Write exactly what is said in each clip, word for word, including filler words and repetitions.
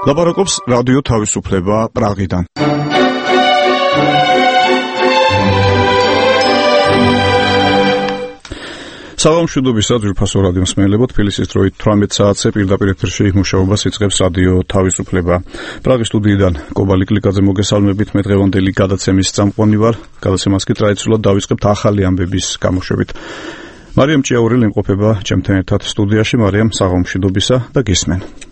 ლაპარაკობს რადიო თავისუფლება პრაღიდან. საღამოშუდობისა ძვირფასო რადიო მსმენელებო, თბილისის დროით თვრამეტ საათზე პირდაპირ ეთერში მუშაობას იწყებს რადიო თავისუფლება. პრაღის სტუდიიდან კობალი კლიკაძე მოგესალმებით, მე დღევანდელი გადაცემის წამყვანი ვარ. გადაცემას კი ტრადიციულად დავიწყებთ ახალი ამბების გამოშვებით. მარიამ ჭიაურელი იმყოფება ჩემთან ერთად სტუდიაში. მარიამ, საღამოშუდობისა და გისმენ.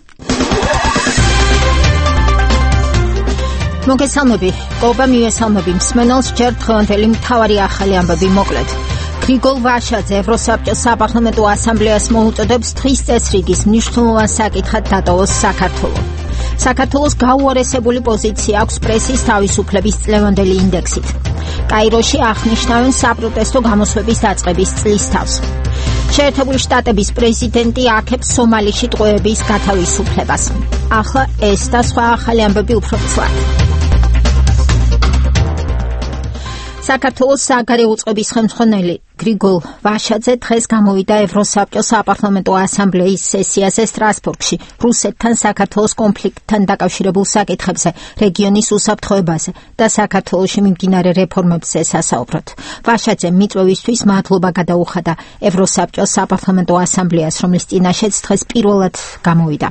მოგესალმები, კობა მიესალმები მსმენელს, ჯერ დღევანდელი მთავარი ახალი ამბები მოკლედ. გრიგოლ ვაშაძე ევროსაბჭოს საპარლამენტო ასამბლეას მოუწოდებს დღის წესრიგის მნიშვნელოვან საკითხად დატოვოს საქართველო. საქართველოს გაუარესებული პოზიცია აქვს პრესის თავისუფლების წლევანდელი ინდექსით. კაიროში აღნიშნავენ საპროტესტო გამოსვების დაწყების წლის თავს. შეერთებული შტატების პრეზიდენტი აქებს სომალიში ტყვეების გათავისუფლებას. ახლა ეს და სხვა ახალი ამბები უფრო ცვლად. საქართველოს საგარეო უწყების ხელმძღვანელი გრიგოლ ვაშაძე დღეს გამოვიდა ევროსაბჭოს საპარლამენტო ასამბლეის სესიაზე სტრასბურგში რუსეთთან საქართველოს კონფლიქტთან დაკავშირებულ საკითხებზე, რეგიონის უსაფრთხოებაზე და საქართველოში მიმდინარე რეფორმებზე სასაუბრად. ვაშაძემ მიწვევისთვის მადლობა გადაუხადა ევროსაბჭოს საპარლამენტო ასამბლეას, რომლის წინაშეც დღეს პირველად გამოვიდა.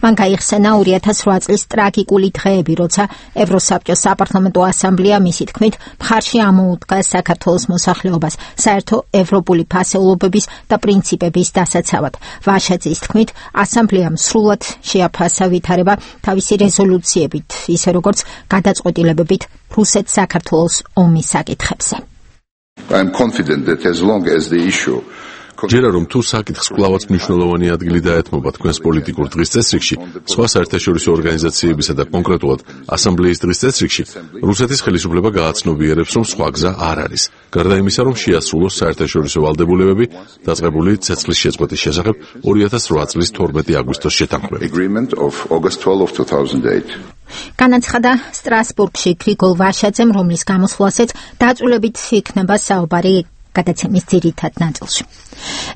მან გაიხსენა ორი ათას რვა წლის ტრაგიკული დღეები, როცა ევროსაბჭოს საპარლამენტო ასამბლეა მისი თქმით მხარში ამოუდგა საქართველოს მოსახლეობას საერთო ევროპული ფასეულობების და პრინციპების დასაცავად. ვაშაძის თქმით, ასამბლეამ სრულად შეაფასა ვითარება თავისი რეზოლუციებით, ისე როგორც გადაწყვეტილებებით რუსეთ-საქართველოს ომის საკითხებზე. I am confident that as long as the issue ჯერა რომ თუ საკითხს კვლავაც მნიშვნელოვანი ადგილი დაეთმობა თქვენს პოლიტიკურ დღის წესრიგში, სხვა საერთაშორისო ორგანიზაციებისა და კონკრეტულად ასამბლეის დღის წესრიგში, რუსეთის ხელისუფლება გააცნობიერებს, რომ სხვა გზა არ არის. გარდა იმისა, რომ შეასრულოს საერთაშორისო ვალდებულებები დაწყებული ცეცხლის შეწყვეტის შესახებ ორი ათას რვა წლის თორმეტი აგვისტოს შეთანხმებით. განაცხადა სტრასბურგში გრიგოლ ვაშაძემ, რომლის გამოსვლასაც დაწვრილებით იქნება საუბარი გადაცემის ძირითად ნაწილში.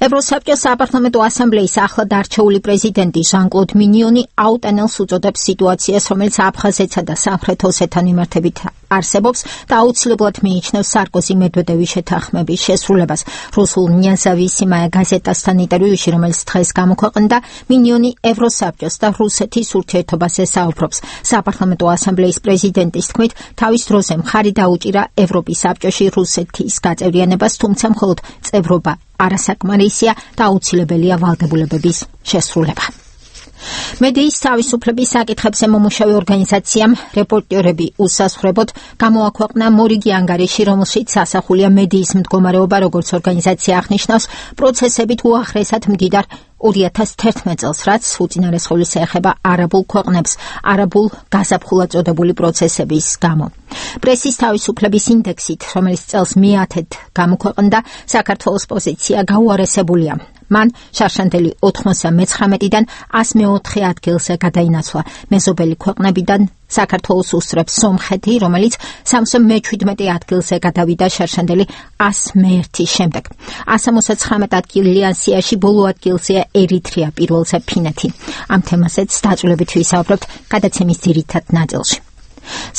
ევროსაბჭოს საპარლამენტო ასამბლეის ახლად არჩეული პრეზიდენტი ჟან-კლოდ მინიონი აუტანელს უწოდებს სიტუაციას, რომელიც აფხაზეთსა და სამხრეთ ოსეთთან მიმართებით არსებობს და აუცილებლად მიიჩნევს სარკოზი მედვედევის შეთანხმების შესრულებას. რუსულ ნიაზავისიმაია გაზეტასთან ინტერვიუში, რომელიც დღეს გამოქვეყნდა, მინიონი ევროსაბჭოს და რუსეთის ურთიერთობაზე საუბრობს. საპარლამენტო ასამბლეის პრეზიდენტის თქმით, თავის დროზე მხარი დაუჭირა ევროპის საბჭოში რუსეთის გაწევრიანებას, თუმცა მხოლოდ წევრობა არასაკმარისია და აუცილებელია ვალდებულებების შესრულება. მედიის თავისუფლების საკითხებზე მომუშავე ორგანიზაციამ რეპორტერები უსასხვრებოდ გამოაქვეყნა მორიგი ანგარიში, რომელშიც ასახულია მედიის მდგომარეობა, როგორც ორგანიზაცია აღნიშნავს, პროცესებით უახლესად მდიდარ ორი ათას თერთმეტ წელს, რაც უწინარესხულს ეხება არაბულ ქვეყნებს, არაბულ გაზაფხულად წოდებული პროცესების გამო. პრესის თავისუფლების ინდექსით, რომელიც წელს მეათედ გამოქვეყნდა, საქართველოს პოზიცია გაუარესებულია. მან შარშანდელი ოთხმოცდამეცხრამეტიდან ასი მეოთხე ადგილზე გადაინაცვლა. მეზობელი ქვეყნებიდან საქართველოს უსწრებს სომხეთი, რომელიც სამოცდა მეჩვიდმეტე ადგილზე გადავიდა შარშანდელი ასი მეერთის შემდეგ. ასი ოცდაცხრამეტ ადგილი ასიაში, ბოლო ადგილზეა ერიტრეა, პირველზე ფინეთი. ამ თემაზეც დაწვრილებით ვისაუბრებთ გადაცემის ძირითად ნაწილში.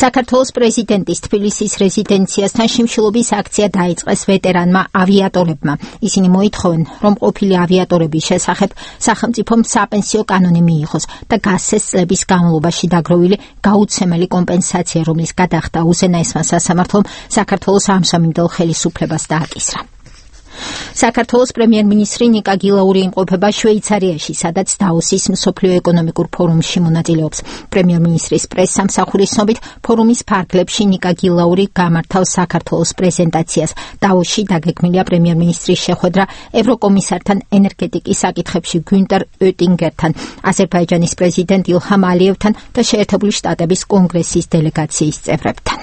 საქართველოს პრეზიდენტის თბილისის რეზიდენციასთან შიმშილობის აქცია დაიწყეს ვეტერანმა ავიატორებმა. ისინი მოითხოვენ, რომ ყოფილი ავიატორების შესახებ სახელმწიფომ საპენსიო კანონი მიიღოს და გასცეს წლების განმავლობაში დაგროვილი გაუცემელი კომპენსაცია, რომლის გადახდა უზენაესმა სასამართლომ საქართველოს ამჟამინდელ ხელისუფლებას დააკისრა. საქართველოს პრემიერ-მინისტრი ნიკა გილაური იმყოფება შვეიცარიაში, სადაც დაოსის მსოფლიო ეკონომიკურ ფორუმში მონაწილეობს. პრემიერ-მინისტრის პრესსამსახურის ცნობით, ფორუმის ფარგლებში ნიკა გილაური გამართავს საქართველოს პრეზენტაციას. დაოსში დაგეგმილია პრემიერ-მინისტრის შეხვედრა ევროკომისართან ენერგეტიკის საკითხებში გუნტერ ოტინგერთან, აზერბაიჯანის პრეზიდენტ ილჰამ ალიევთან და შეერთებული შტატების კონგრესის დელეგაციის წევრებთან.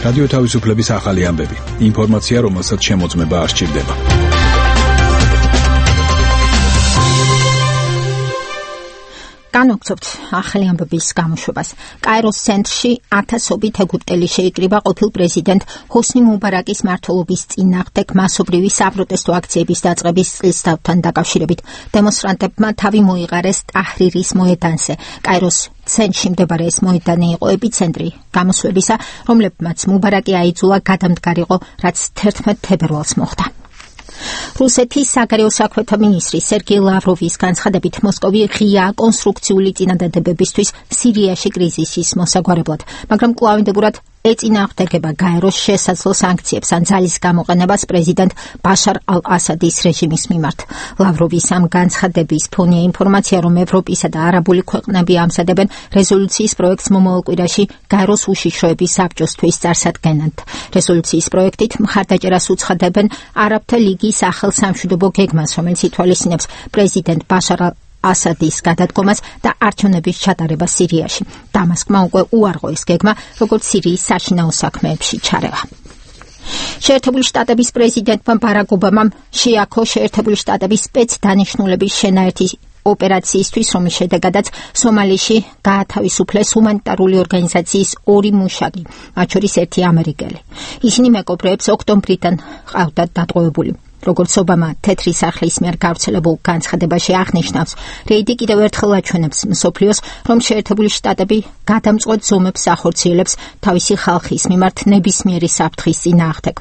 რადიო თავისუფლების ახალი ამბები. ინფორმაცია, რომელსაც შემოწმება არ სჭირდება. განვაგრძობთ ახალი ამბების გამოშვებას. კაიროს ცენტრში ათასობით ეგვიპტელი შეიკრიბა ყოფილ პრეზიდენტ ჰოსნი მუბარაკის მმართველობის წინააღმდეგ მასობრივი საპროტესტო აქციების დაწყების წლისთავთან დაკავშირებით. დემონსტრანტებმა თავი მოიყარეს ტაჰრირის მოედანზე. კაიროს ცენტრში მდებარე ეს მოედანი იყო ეპიცენტრი გამოსვლებისა, რომლებმაც მუბარაკი აიძულა გადამდგარიყო, რაც თერთმეტ თებერვალს მოხდა. რუსეთის საგარეო საქმეთა მინისტრი სერგეი ლავროვის განცხადებით, მოსკოვი ღიაა კონსტრუქციული წინადადებებისთვის სირიაში კრიზისის მოსაგვარებლად, მაგრამ კვლავინდებურად ეწინააღმდეგება გაეროს შესაძლო სანქციებს ან ძალის გამოყენებას პრეზიდენტ ბაშარ ალ-ასადის რეჟიმის მიმართ. ლავროვის ამ განცხადების ფონია ინფორმაცია, რომ ევროპისა და არაბული ქვეყნები ამზადებენ რეზოლუციის პროექტს მომავალ კვირაში გაეროს უშიშროების საბჭოსთვის წარსადგენად. რეზოლუციის პროექტით მხარდაჭერას უცხადებენ არაბთა ლიგის ახალსამშვიდობო გეგმას, რომელიც ითვალისწინებს პრეზიდენტ ბაშარ ასადის გადადგომას და არჩევნების ჩატარებას სირიაში. დამასკმა უკვე უარყო ეს გეგმა, როგორც სირიის საშინაო საქმეებში ჩარევა. შეერთებული შტატების პრეზიდენტმა ბარაკ ობამამ შეაქო შეერთებული შტატების სპეცდანიშნულების შენაერთი ოპერაციისთვის, რომლის შედეგადაც სომალიში გაათავისუფლეს ჰუმანიტარული ორგანიზაციის ორი მუშაკი, მათ შორის ერთი ამერიკელი. ისინი მეკობრეებს ოქტომბრიდან ყავდათ დატყვევებული. როგორც ობამა თეთრი სახლის მიერ გავრცელებულ განცხადებაში აღნიშნავს, რეიდი კიდევ ერთხელ აჩვენებს მსოფლიოს, რომ შეერთებული შტატები გადამწყვეტ ზომებს ახორციელებს თავისი ხალხის მიმართ ნებისმიერი საფრთხის წინააღმდეგ.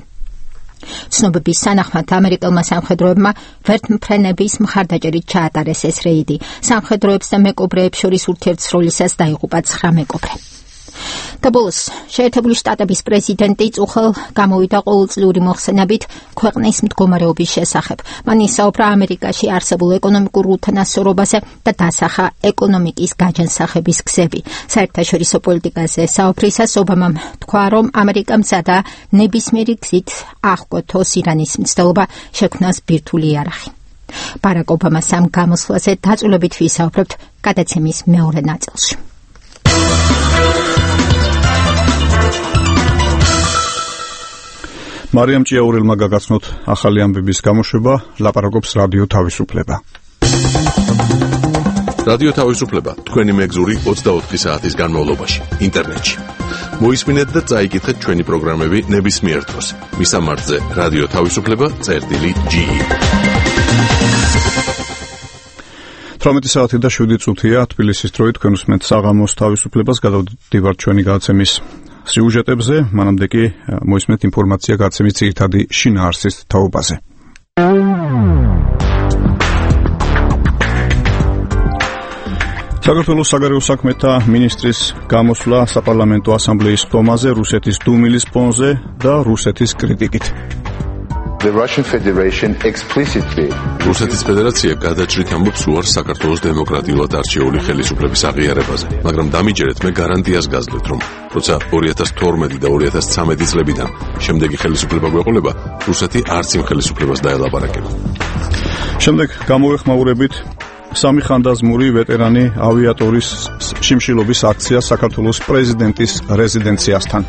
ცნობების თანახმად ამერიკელმა სამხედროებმა ვერტმფრენების მხარდაჭერით ჩაატარეს ეს რეიდი. სამხედროებს და მეკობრეებს შორის ურთიერთსროლისას დაიღუპა ცხრა მეკობრე. და ბოლოს, შეერთებული შტატების პრეზიდენტი წუხელ გამოვიდა ყოველწლიური მოხსენებით ქვეყნის მდგომარეობის შესახებ. მან ისაუბრა ამერიკაში არსებულ ეკონომიკურ უთანასწორობაზე და დასახა ეკონომიკის გაჯანსაღების გზები. საერთაშორისო პოლიტიკაზე საუბრისას ობამამ თქვა, რომ ამერიკა მზადაა ნებისმიერი გზით აღკვეთოს ირანის მცდელობა შექმნას ბირთვული იარაღი. ბარაკ ობამას ამ გამოსვლაზე დაწვრილებით ვისაუბრებთ გადაცემის მეორე ნაწილში. მარიამ ჭიაურელმა გაგაცნოთ ახალი ამბების გამოშვება, ლაპარაკობს რადიო თავისუფლება. რადიო თავისუფლება თქვენი მეგზური ოცდაოთხი საათის განმავლობაში ინტერნეტში. მოისმინეთ და წაიკითხეთ ჩვენი პროგრამები ნებისმიერ დროს. მისამართზე რადიო თავისუფლება წერტილი ჯი ი. თვრამეტი საათი და შვიდი წუთია თბილისის დროით, თქვენ უსმენთ საღამოს თავისუფლებას, გადავდივართ ჩვენი გადაცემის სიუჟეტებზე, მანამდე კი მოისმენთ ინფორმაცია გადაცემის ძირითადი შინაარსის თაობაზე. საქართველოს საგარეო საქმეთა მინისტრის გამოსვლა საპარლამენტო ასამბლეის ხტომაზე, რუსეთის დუმილის ფონზე და რუსეთის კრიტიკით. The Russian Federation explicitly რუსეთის ფედერაცია გადაჭრით ამბობს უარს საქართველოს დემოკრატიულად არჩეული ხელისუფლების აღიარებაზე, მაგრამ დამიჯერეთ მე გარანტიას გაძლევთ, რომ როცა ორი ათას თორმეტი და ორი ათას ცხრამეტი წლებიდან შემდეგი ხელისუფლება გვეყოლება, რუსეთი არც იმ ხელისუფლებას დაელაპარაკება. შემდეგ გამოვეხმაურებით სამი ხანდაზმური ვეტერანი ავიატორის შიმშილობის აქცია საქართველოს პრეზიდენტის რეზიდენციასთან.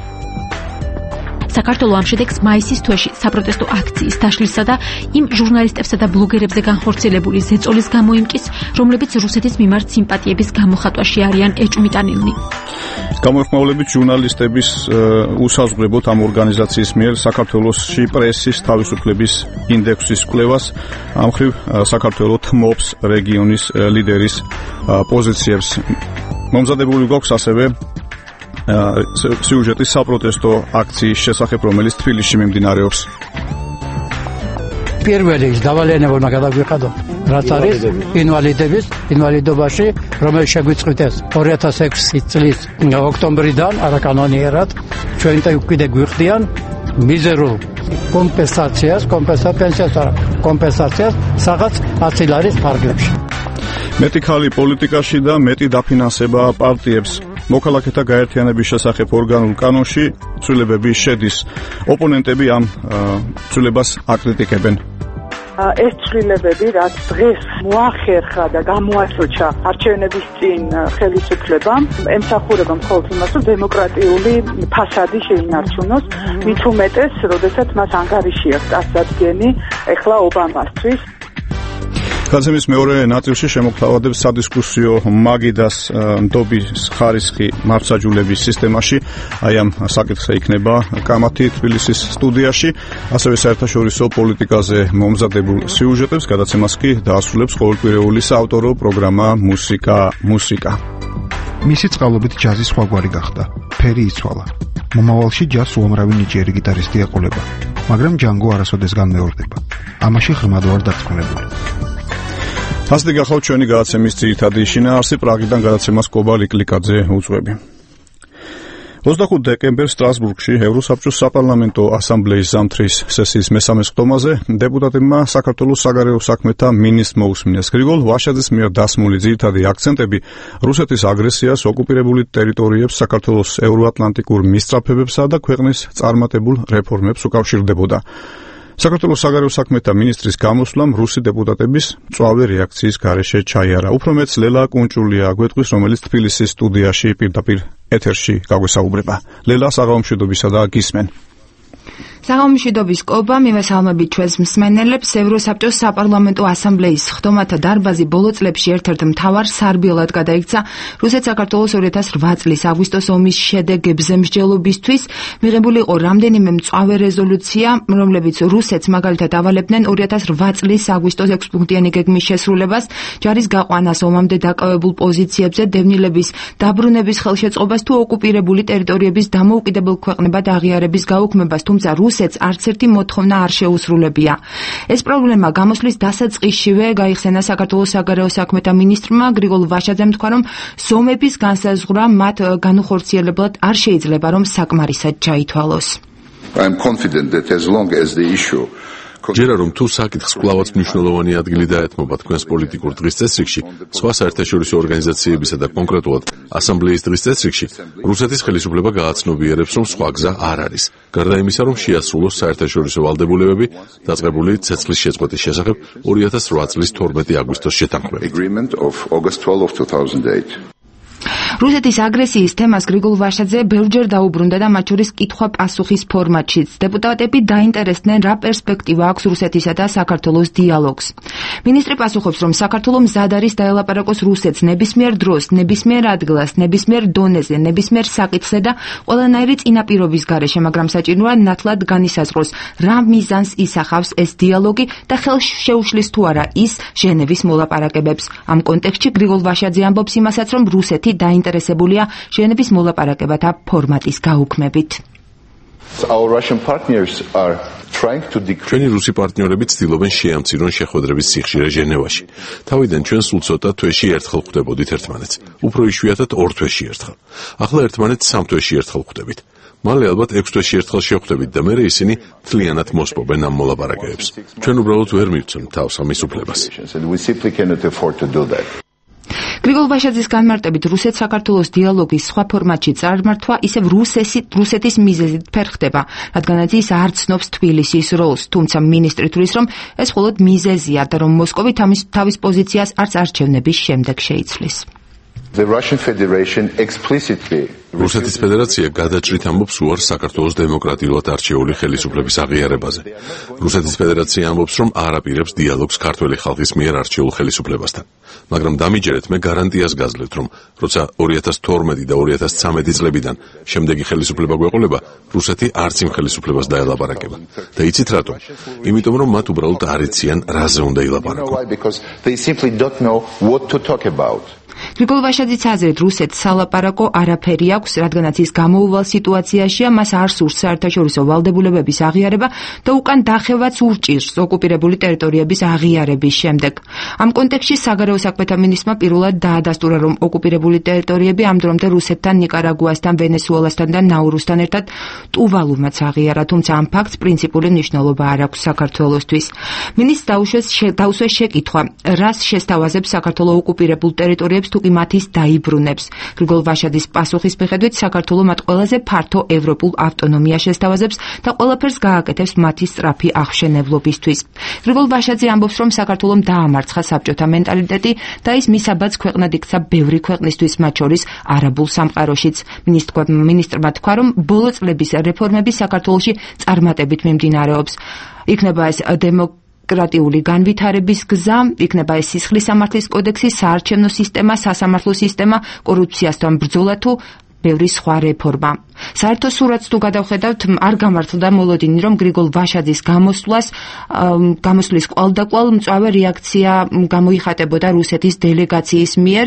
საქართველოს ამ შედეგს მაისის თვეში საპროტესტო აქციის დაშლისა და იმ ჟურნალისტებსა და ბლოგერებზე განხორციელებული ზეწოლის გამოიმკის, რომლებიც რუსეთის მიმართ სიმპათიების გამოხატვაში არიან ეჭვმიტანილნი. გამოეხმაურებით ჟურნალისტების უსაზღვრებოდ ამ ორგანიზაციის მიერ საქართველოსში პრესის თავისუფლების ინდექსის კვლევას, ამ მხრივ საქართველოს თმობს რეგიონის ლიდერის პოზიციებს. მომზადებული გვაქვს ასევე სიუჟეტის საპროტესტო აქციის შესახებ, რომელიც თბილისში მიმდინარეობს. პირველი დავალიანებულმა გადაგვიყადო, რაც არის ინვალიდების ინვალიდობაში, რომელიც შეგვიწყვიტეს ორი ათას ექვსი წლის ოქტომბრიდან არაკანონიერად, ჩვენ კიდე გვიხდიან მიზერულ კომპენსაციას, კომპენსაციას, კომპენსაციას რაღაც ათი ლარის ფარგლებში. მეტი ხალი პოლიტიკაში და მეტი დაფინანსება პარტიებს. მოქალაქეთა გაერთიანების შესახებ ორგანულ კანონში ცვლილებები შედის. ოპონენტები ამ ცვლილებას აკრიტიკებენ. ეს ცვლილებები, რაც დღეს მოახერხა და გამოაჩოჩა არჩევნების წინ ხელისუფლებამ, ემსახურება მხოლოდ იმას, რომ დემოკრატიული ფასადი შეინარჩუნოს, მით უმეტეს, როდესაც მას ანგარიში აქვს წარსადგენი ეხლა ობამასთვის. გადაცემის მეორე ნაწილში შემოგთავაზებს სადისკუსიო მაგიდას ნდობის ხარისხი მართლმსაჯულების სისტემაში. აი ამ საკითხზე იქნება კამათი თბილისის სტუდიაში, ასევე საერთაშორისო პოლიტიკაზე მომზადებულ სიუჟეტებს გადაცემას კი დაასრულებს ყოველკვირეული საავტორო პროგრამა მუსიკა მუსიკა. მისი წყალობით ჯაზი სხვაგვარი გახდა. ფერი იცვალა. მომავალში ჯაზს უამრავი ნიჭიერი გიტარისტი ეყოლება, მაგრამ ჯანგო არასოდეს განმეორდება. ამაში ღრმად ვარ დარწმუნებული. ასეთი გახლავთ ჩვენი გადაცემის ძირითადი შინაარსი. პრაღიდან გადაცემას კობა ლიკლიკაძე უძღვები. ოცდახუთი დეკემბერს სტრასბურგში ევროსაბჭოს საპარლამენტო ასამბლეის ზამთრის სესიის მესამე სხდომაზე დეპუტატებმა საქართველოს საგარეო საქმეთა მინისტრს მოусმინეს. გრიგოლ ვაშაძის მიერ დასმული ძირითადი აქცენტები რუსეთის აგრესიას, ოკუპირებული ტერიტორიებს, საქართველოს ევროატლანტიკურ მისწრაფებებსა და ქვეყნის წარმატებულ რეფორმებს უკავშირდებოდა. საქართველოს საგარეო საქმეთა მინისტრის გამოსვლამ რუსი დეპუტატების მწვავე რეაქციის გარეშე ჩაიარა. უფრო მეც ლელა კუნჭულია გვეტყვის, რომელიც თბილისის სტუდიაში პირდაპირ ეთერში გაგვესაუბრება. ლელა, საღამომშვიდობისა და გისმენ. საღამომშვიდობის კობა, მივესალმებით ჩვენს მსმენელებს. ევროსაბჭოს საპარლამენტო ასამბლეის სხდომათა დარბაზი ბოლო წლებში ერთ-ერთ მთავარ სარბიელად გადაიქცა რუსეთ-საქართველოს ორი ათას რვა წლის აგვისტოს ომის შედეგებზე მსჯელობისთვის. მიღებული იყო რამდენიმე მწვავე რეზოლუცია, რომლებიც რუსეთს მაგალითად ავალებდნენ ორი ათას რვა წლის აგვისტოს ექვსპუნქტიანი გეგმის შესრულებას, ჯარის გაყვანას ომამდე დაკავებულ პოზიციებზე, დევნილების დაბრუნების ხელშეწყობას თუ ოკუპირებული ტერიტორიების დამოუკიდებელ ქვეყნებად აღიარების გაუქმებას, თუმცა რუსეთს არც ერთი მოთხოვნა არ შეუსრულებია. ეს პრობლემა გამოსვლის დასაწყისშივე გაიხსენა საქართველოს საგარეო საქმეთა მინისტრმა გრიგოლ ვაშაძემ თქვა, რომ ზომების განსაზღვრა მათ განუხორციელებლად არ შეიძლება, რომ საკმარისად ჩაითვალოს. I am confident that as long as the issue ჯერა რომ თუ საკითხს კვლავაც მნიშვნელოვანი ადგილი დაეთმობა თქვენს პოლიტიკურ დღის წესრიგში, სხვა საერთაშორისო ორგანიზაციებისა და კონკრეტულად ასამბლეის დღის წესრიგში, რუსეთის ხელისუფლება გააცნობიერებს, რომ სხვა გზა არ არის. გარდა იმისა, რომ შეასრულოს საერთაშორისო ვალდებულებები დაწყებული ცეცხლის შეწყვეტის შესახებ ორი ათას რვა წლის თორმეტი აგვისტოს შეთანხმებით. რუსეთის აგრესიის თემას გრიგოლ ვაშაძე ბევრჯერ დაუბრუნდა და მათ შორის კითხვა-პასუხის ფორმატშიც. დეპუტატები დაინტერესდნენ, რა პერსპექტივა აქვს რუსეთისა და საქართველოს დიალოგს. მინისტრი პასუხობს, რომ საქართველო მზად არის დაელაპარაკოს რუსეთს ნებისმიერ დროს, ნებისმიერ ადგილას, ნებისმიერ დონეზე, ნებისმიერ საკითხზე და ყველანაირი წინაპირობის გარეშე, მაგრამ საჭიროა ნათლად განისაზღვროს, რა მიზანს ისახავს ეს დიალოგი და ხელს შეუშლის თუ არა ის ჟენევის მოლაპარაკებებს. ამ კონტექსტში გრიგოლ ვაშაძე ამბობს იმასაც, რომ რუსეთი დაინტერესებულია ჟენევის მოლაპარაკებათა ფორმატის გაუქმებით. ჩვენი რუსი პარტნიორები ცდილობენ შეამცირონ შეხვედრების სიხშირე ჟენევაში. თავიდან ჩვენ სულ ცოტა თვეში ერთხელ ხვდებოდით ერთმანეთს. უფრო იშვიათად ორ თვეში ერთხელ. ახლა ერთმანეთს სამ თვეში ერთხელ ხვდებით. მალე ალბათ ექვს თვეში ერთხელ შევხვდებით და მერე ისინი მთლიანად მოსპობენ ამ მოლაპარაკებებს. ჩვენ უბრალოდ ვერ მივცემთ თავს ამის უფლებას. გრიგოლ ვაშაძის განმარტებით, რუსეთ-საქართველოს დიალოგის სხვა ფორმატში წარმართვა ისევ რუსეთის მიზეზით ფერხდება, რადგანაც ის არ ცნობს თბილისის როლს, თუმცა მინისტრი თვლის, რომ ეს მხოლოდ მიზეზია და რომ მოსკოვი თავის პოზიციას არც არჩევნების შემდეგ შეიცვლის. რუსეთის ფედერაცია გადაჭრით ამბობს უარს საქართველოს დემოკრატიულად არჩეული ხელისუფლების აღიარებაზე. რუსეთის ფედერაცია ამბობს, რომ არ აპირებს დიალოგს ქართველი ხალხის მიერ არჩეულ ხელისუფლებასთან. მაგრამ დამიჯერეთ, მე გარანტიას გაძლევთ, რომ როცა ორი ათას თორმეტი და ორი ათას ცამეტი წლებიდან შემდეგი ხელისუფლება გვეყოლება, რუსეთი არც იმ ხელისუფლებას დაელაპარაკება. და იცით რატო? იმიტომ, რომ მათ უბრალოდ არ იციან, რაზე უნდა ილაპარაკონ. გრიგოლ ვაშაძის აზრით, რუსეთს სალაპარაკო არაფერი აქვს, რადგანაც ის გამოუვალ სიტუაციაშია, მას არ სურს საერთაშორისო ვალდებულებების აღიარება და უკან დახევაც ურჭირს ოკუპირებული ტერიტორიების აღიარების შემდეგ. ამ კონტექსტში საგარეო საქმეთა მინისტრმა პირველად დაადასტურა, რომ ოკუპირებული ტერიტორიები ამ დრომდე რუსეთთან, ნიკარაგუასთან, ვენესუელასთან და ნაურუსთან ერთად ტუვალუმაც აღიარა, თუმცა ამ ფაქტს პრინციპული მნიშვნელობა არ აქვს საქართველოსთვის. მინისტრს დაუშვეს შეკითხვა, რას შესთავაზებს საქართველოს ოკუპირებულ ტერიტორიებს თუ კი მათის დაიბრუნებს. გრიგოლ ვაშაძის პასუხის მიხედვით, საქართველო მათ ყველაზე ფართო ევროპულ ავტონომიას შესთავაზებს და ყველაფერს გააკეთებს მათი სწრაფი აღშენებლობისთვის. გრიგოლ ვაშაძე ამბობს, რომ საქართველომ დაამარცხა საბჭოთა მენტალიტეტი და ის მისაბაც ქვეყნად იქცა ბევრი ქვეყნისთვის, მათ შორის არაბულ სამყაროშიც. მინისტრმა თქვა, რომ ბოლო წლების რეფორმები საქართველოში წარმატებით მიმდინარეობს. იქნება ეს დემოკრატია დემოკრატიული განვითარების გზა, იქნება ეს სისხლის სამართლის კოდექსი, საარჩევნო სისტემა, სასამართლო სისტემა, კორუფციასთან ბრძოლა თუ ბევრი სხვა რეფორმა. საერთო სურათს თუ გადავხედავთ, არ გამართლდა მოლოდინი, რომ გრიგოლ ვაშაძის გამოსვლას, გამოსვლის კვალდაკვალ მწვავე რეაქცია გამოიხატებოდა რუსეთის დელეგაციის მიერ.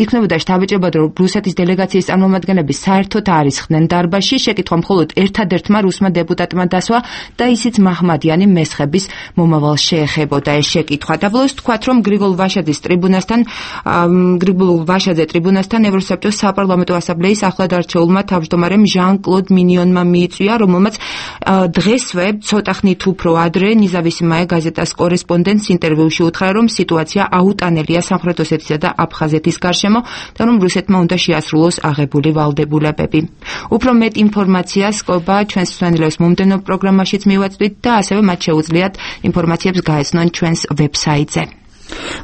იქნებოდა შთაბეჭდილება, რომ რუსეთის დელეგაციის წარმომადგენლები საერთოდ არ ისხდნენ დარბაზში, შეკითხვა მხოლოდ ერთადერთმა რუსმა დეპუტატმა დასვა და ისიც მაჰმადიანი მესხების მომავალს შეეხებოდა ეს შეკითხვა. დაბოლოს თქვათ, რომ გრიგოლ ვაშაძის ტრიბუნასთან, გრიგოლ ვაშაძე ტრიბუნასთან ევროსაბჭოს საპარლამენტო ასამბლეის ახლად არჩეულმა თავმჯდომარემ ჟან-კლოდ მინიონმა მიიწვია, რომელმაც დღესვე ცოტა ხნით უფრო ადრე ნიზავისიმაე გაზეტას კორესპონდენტს ინტერვიუში უთხრა, რომ სიტუაცია აუტანელია სამხრეთ ოსეთისა და აფხაზეთის გარშემო და რომ რუსეთმა უნდა შეასრულოს აღებული ვალდებულებები. უფრო მეტ ინფორმაციას ყობა ჩვენს მსმენელებს მომდევნო პროგრამაშიც მივაწვდით და ასევე მათ შეუძლიათ ინფორმაციებს გაეცნონ ჩვენს ვებსაიტზე.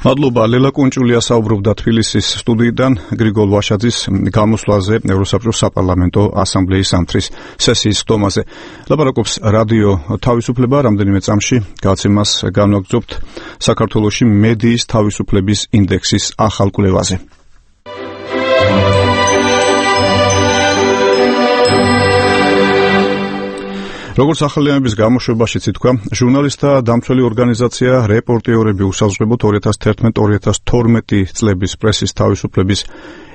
მადლობა, ლელა კუნჭულია საუბრობდა თბილისის სტუდიიდან გრიგოლ ვაშაძის გამოსვლაზე ევროსაბჭოს საპარლამენტო ასამბლეის სამთრის სესიის ხდომაზე. ლაპარაკობს რადიო თავისუფლება, რამდენიმე წამში გაცემას განვაგრძობთ საქართველოში მედიის თავისუფლების ინდექსის ახალ კვლევაზე. როგორც ახალიანების გამოშვებაშიც ითქვა, ჟურნალისტთა დამცველი ორგანიზაცია რეპორტიორები უსაზღვრებოდ ორი ათას თერთმეტ ორი ათას თორმეტი წლების პრესის თავისუფლების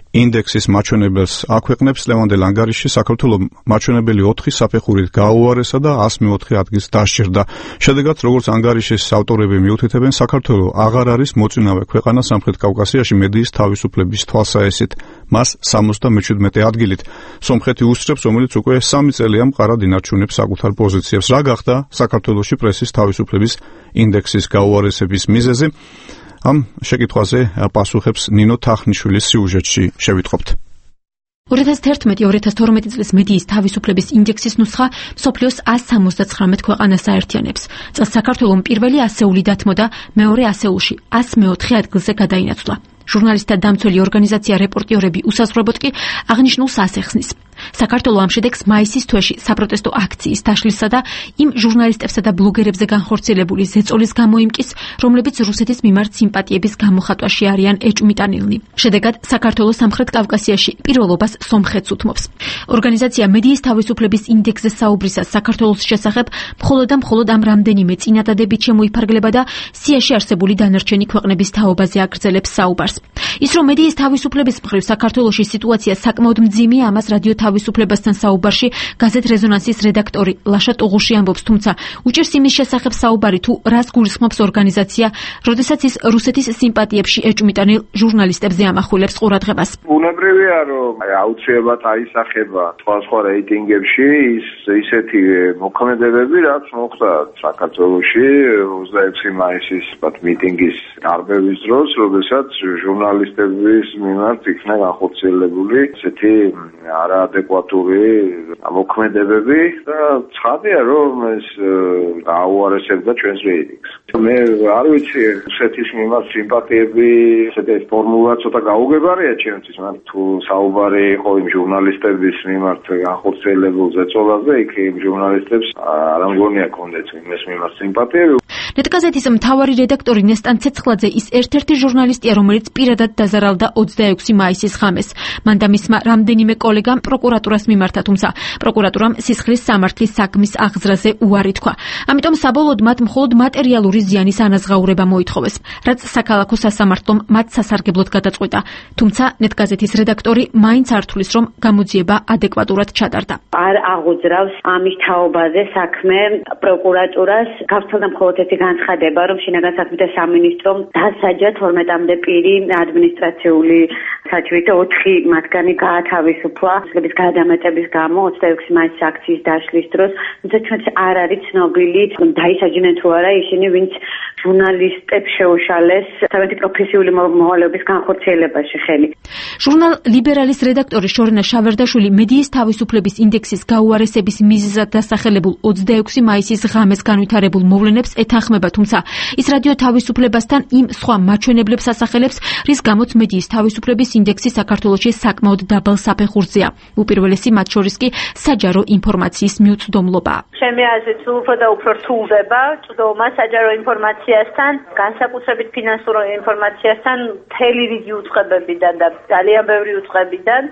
ინდექსის მაჩვენებელს აქვეყნებს. ლევანდელ ანგარიშში საქართველოს მაჩვენებელი ოთხი საფეხურით გაუარესა და ასი მეოთხე ადგილს დასჭირდა. შედეგად, როგორც ანგარიშის ავტორები მიუთითებენ, საქართველოს აღარ არის მოწინავე ქვეყანა სამხრეთ კავკასიაში მედიის თავისუფლების თვალსაჩინით, მას სამოცდამეჩვიდმეტე ადგილით. სომხეთი უსწრებს, რომელიც უკვე სამი წელია მყარად ინარჩუნებს საკუთარ პოზიციებს. რა გახდა საქართველოში პრესის თავისუფლების ინდექსის გაუარესების მიზეზი? ამ შეკითხვაზე პასუხებს ნინო თახნიშვილის სიუჟეტში შევიტყობთ. ორი ათას თერთმეტი ორი ათას თორმეტი წლის მედიის თავისუფლების ინდექსის ნუსხა მსოფლიოს ასი სამოცდაცხრამეტ ქვეყანას აერთიანებს. წელს საქართველოს პირველი ასეული დათმო და მეორე ასეულში ასი მეოთხე ადგილზე გადაინაცვლა. ჟურნალისტთა დამცველი ორგანიზაცია რეპორტიორები უსაზღვრებოდ კი აღნიშნულს ასახსნის. საქართველოს ამ შედეგს მაისის თვეში საპროტესტო აქციის დაშლისა და იმ ჟურნალისტებსა და ბლოგერებზე განხორციელებული ზეწოლის გამოიმკის, რომლებიც რუსეთის მიმართ სიმპათიების გამოხატვაში არიან ეჭვმიტანილნი. შედეგად, საქართველოს სამხრეთ კავკასიაში პირველობას სომხეთს უთმობს. ორგანიზაცია მედიის თავისუფლების ინდექსზე საუბრისას საქართველოს შესახებ მხოლოდ და მხოლოდ ამ რამდენიმე წინადადებით შემოიფარგლება და სიაში არსებული დანარჩენი ქვეყნების თაობაზე აგრძელებს საუბარს. ის რომ მედიის თავისუფლების მხრივ საქართველოში სიტუაცია საკმაოდ მძიმეა, ამას რადიო თავისუფლებასთან საუბარში გაზეთ რეზონანსის რედაქტორი ლაშა ტუღუში ამბობს, თუმცა უჭირს იმის შესახებ საუბარი, თუ რას გულისხმობს ორგანიზაცია, როდესაც ის რუსეთის სიმპათიებში ეჭვმიტანილ ჟურნალისტებზე ამახვილებს ყურადღებას. ბუნებრივია, რომ აუცილებლად აისახება სხვადასხვა რეიტინგებში ის ისეთი მოქმედებები, რაც მოხდა საქართველოში ოცდაექვსი მაისის მიტინგის დარბევის დროს, როდესაც ჟურნალისტების მიმართ იქნა განხორციელებული ესეთი არაადეკვატური მოქმედებები და ცხადია, რომ ეს გაუარესებდა ჩვენს რეიტინგს. მე არ ვიცი, რუსეთის მიმართ სიმპათიები, ესეთი ფორმულა ცოტა გაუგებარია ჩემთვის, მაგრამ თუ საუბარი იყო იმ ჟურნალისტების მიმართ განხორციელებულ ზეწოლაზე, იქ იმ ჟურნალისტებს არ მგონია კონდეთ იმის მიმართ სიმპათიები. ნეტგაზეთის მთავარი რედაქტორი ნესტან ცეცხლაძე ის ერთ-ერთი ჟურნალისტია, რომელიც პირადად დაზარალდა ოცდაექვსი მაისის ღამეს. მან და მისმა რამდენიმე კოლეგამ პროკურატურას მიმართა, თუმცა პროკურატურამ სისხლის სამართლის საქმის აღზრაზე უარი თქვა. ამიტომ საბოლოოდ მათ მხოლოდ მატერიალური ზიანის ანაზღაურება მოითხოვეს, რაც საქალაქო სასამართლომ მათ სასარგებლოდ გადაწყვიტა. თუმცა ნეტგაზეთის რედაქტორი მაინც არ თვლის, რომ გამოძიება ადეკვატურად ჩატარდა. არ აღუძრავს ამის თაობაზე საქმე პროკურატურას. გავრცელდა მხოლოდ ერთი განცხადება, რომ შინაგან საქმეთა სამინისტრომ დასაჯა თორმეტამდე პირი ადმინისტრაციული საჭიროებით და ოთხი მათგანი გაათავისუფლა სულების გადამეტების გამო ოცდაექვსი მაისის აქციის დაშლის დროს. თუმცა ჩვენც არ არის ცნობილი დაისაჯნენ თუ არა ისინი, ვინც ჟურნალისტებს შეუშალეს თავისი პროფესიული მოვალეობის განხორციელებაში ხელი. ჟურნალ ლიბერალის რედაქტორი შორენა შავერდაშვილი მედიის თავისუფლების ინდექსის გაუარესების მიზეზად დასახელებულ ოცდაექვსი მაისის ღამეს განვითარებულ მოვლენებს ეთანხმება, თუმცა ის რადიო თავისუფლებასთან იმ სხვა მაჩვენებლებს ასახელებს, რის გამოც მედიის თავისუფლების ინდექსი საქართველოში საკმაოდ დაბალ საფეხურზეა. უპირველესი მათ შორის კი საჯარო ინფორმაციის მიუწვდომლობა. ჩემი აზრით, უფრო და უფრო რთულდება წვდომა საჯარო ინფორმაციასთან, განსაკუთრებით ფინანსურ ინფორმაციასთან, მთელი რიგი უწყებებიდან და ძალიან ბევრი უწყებიდან.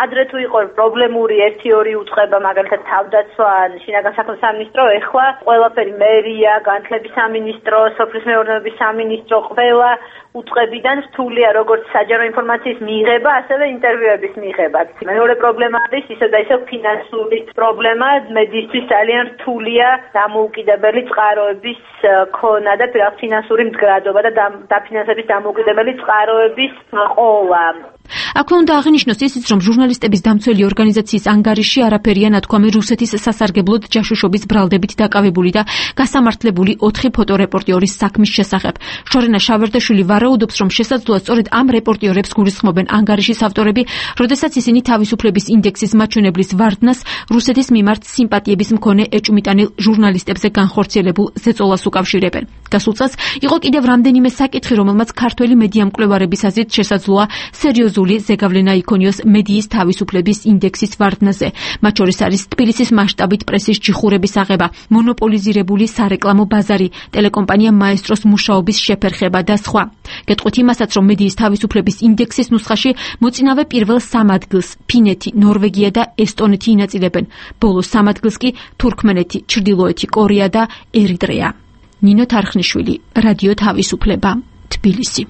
ადრე თუ იყო პრობლემური ერთი ორი უწყება, მაგალითად თავდაცვა, შინაგან საქმეთა სამინისტრო, ეხლა ყველაფერი მერია, განათლების სამინისტრო, სოფლის მეურნეობის სამინისტრო, ყველა უწყებიდან რთულია როგორც საჯარო ინფორმაციის მიღება, ასევე ინტერვიუების მიღება. მეორე პრობლემა არის ისე და ისე ფინანსური პრობლემა, მედიისთვის ძალიან რთულია დამოუკიდებელი წყაროების ქონა და ფინანსური მდგრადობა და დაფინანსების დამოუკიდებელი წყაროების ყოლა. აქვე უნდა აღინიშნოს ისიც, რომ ჟურნალისტების დამცველი ორგანიზაციის ანგარიში არაფერია ნათქვამი რუსეთის სასარგებლოდ ჯაშუშობის ბრალდებით დაკავებული და გასამართლებული ოთხი ფოტორეპორტიორის საქმის შესახებ. შორენა შავერდაშვილი ვარაუდობს, რომ შესაძლოა სწორედ ამ რეპორტიორებს გულისხმობენ ანგარიშის ავტორები, როდესაც ისინი თავისუფლების ინდექსის მაჩვენებლის ვარდნას რუსეთის მიმართ სიმპათიების მქონე ეჭვმიტანილ ჟურნალისტებზე განხორციელებულ ზეწოლას უკავშირებენ. გასულ წელს იყო კიდევ რამდენიმე საკითხი, რომელმაც ქართველი მედიამკვლევარების აზრით შესაძლოა სერიოზული ზეგავლენა იქონიოს მედიის თავისუფლების ინდექსის ვარდნაზე. მათ შორის არის თბილისის მასშტაბით პრესის ჯიხურების აღება, მონოპოლიზირებული სარეკლამო ბაზარი, ტელეკომპანია მაესტროს მუშაობის შეფერხება და სხვა. გეტყვით იმასაც, რომ მედიის თავისუფლების ინდექსის ნუსხაში მოწინავე პირველ სამ ადგილს ფინეთი, ნორვეგია და ესტონეთი ინაწილებენ. ბოლო სამ ადგილს კი თურქმენეთი, ჩრდილოეთი კორეა და ერიტრეა. ნინო თარხნიშვილი, რადიო თავისუფლება, თბილისი.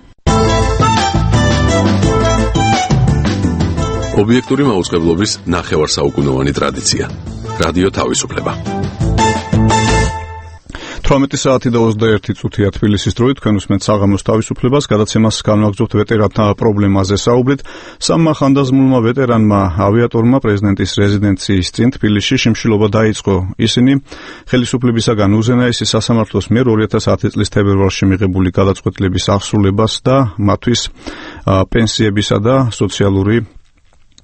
ობიექტური მაუწყებლობის ნახევარსაუკუნოვანი ტრადიცია. რადიო თავისუფლება. თვრამეტი საათი და ოცდაერთი წუთია თბილისის დროით, თქვენ უსმენთ საღამოს თავისუფლებას, გადაცემას განვაგრძობთ ვეტერანთა პრობლემაზე საუბრით. სამმა ხანდაზმულმა ვეტერანმა ავიატორმა პრეზიდენტის რეზიდენციის წინ თბილისში შიმშილობა დაიწყო. ისინი ხელისუფლებისაგან უზენაესი სასამართლოს მიერ ორი ათას ათი წლის თებერვალში მიღებული გადაწყვეტილების აღსრულებას და მათთვის პენსიებისა და სოციალური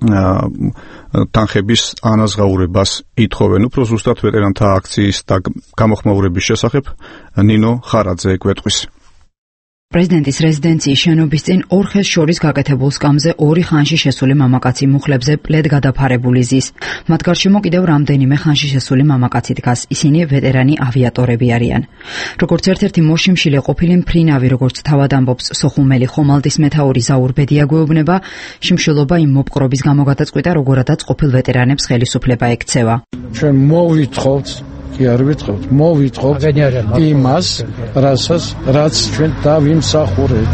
თანხების ანაზღაურებას ითხოვენ. უფრო ზუსტად ვეტერანთა აქციის და გამოხმაურების შესახებ ნინო ხარაძე გვეტყვის. პრეზიდენტის რეზიდენციის შენობის წინ ორ ხეს შორის გაკეთებულ სკამზე ორი ხანში შესული მამაკაცი მუხლებზე პლედ გადაფარებული ზის. მათ გარშემო კიდევ რამდენიმე ხანში შესული მამაკაცი დგას. ისინი ვეტერანი ავიატორები არიან. როგორც ერთ-ერთი მოშიმშილე ყოფილი მფრინავი, როგორც თავად ამბობს სოხუმელი ხომალდის მეთაური ზაურ ბედია გვეუბნება, შიმშილობა იმ მოპყრობის გამო გადაწყვიტა, როგორადაც ყოფილ ვეტერანებს ხელისუფლება ექცევა. ჩვენ მოვითხოვთ კი არ ვიტყობთ, მოვითხოვთ იმას, რასაც რაც ჩვენ დავიმსახურეთ.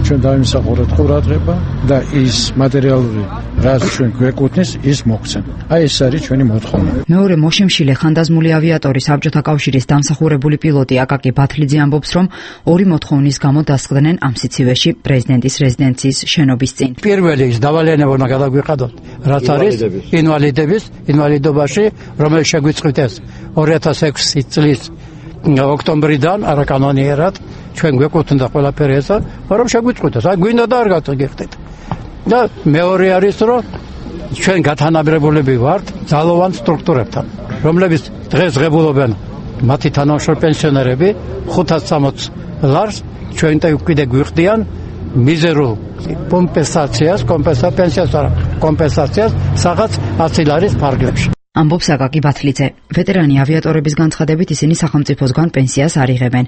ჩვენ დავიმსახურეთ ყურადღება და ის მატერიალური რაც ჩვენ გვეკუთვნის, ის მოგვცენ. აი ეს არის ჩვენი მოთხოვნა. მეორე მოშიმშილე ხანდაზმული ავიატორი საბჭოთა კავშირის დამსახურებული პილოტი აკაკი ბათლიძე ამბობს, რომ ორი მოთხოვნის გამო დასხდნენ ამ სიცივეში პრეზიდენტის რეზიდენციის შენობის წინ. პირველი ის დავალიანება უნდა გადაგვიყადოთ, რაც არის ინვალიდების ინვალიდობაში, რომელიც შეგვიწყვით ეს ორი ათას ექვსი წლის ოქტომბრიდან არაკანონიერად ჩვენ გვეკუთვნოდა ყველაფერი ესა, მაგრამ შეგვიწყვით ეს. აი გვინდა და არ გაგიხდით. და მეორე არის, რომ ჩვენ გათანაბრებულები ვართ ძალოვან სტრუქტურებთან, რომლებიც დღეს ღებულობენ მათი თანამშრომლები პენსიონერები ხუთას სამოცი ლარს, ჩვენ კიდე გვიხდიან მიზერულ კომპენსაციას, კომპენსაციას, კომპენსაციას სადაც ათი ლარის ფარგლებში. ამბობს აკაკი ბათლიძე. ვეტერანი ავიატორების განცხადებით ისინი სახელმწიფოსგან პენსიას არ იღებენ.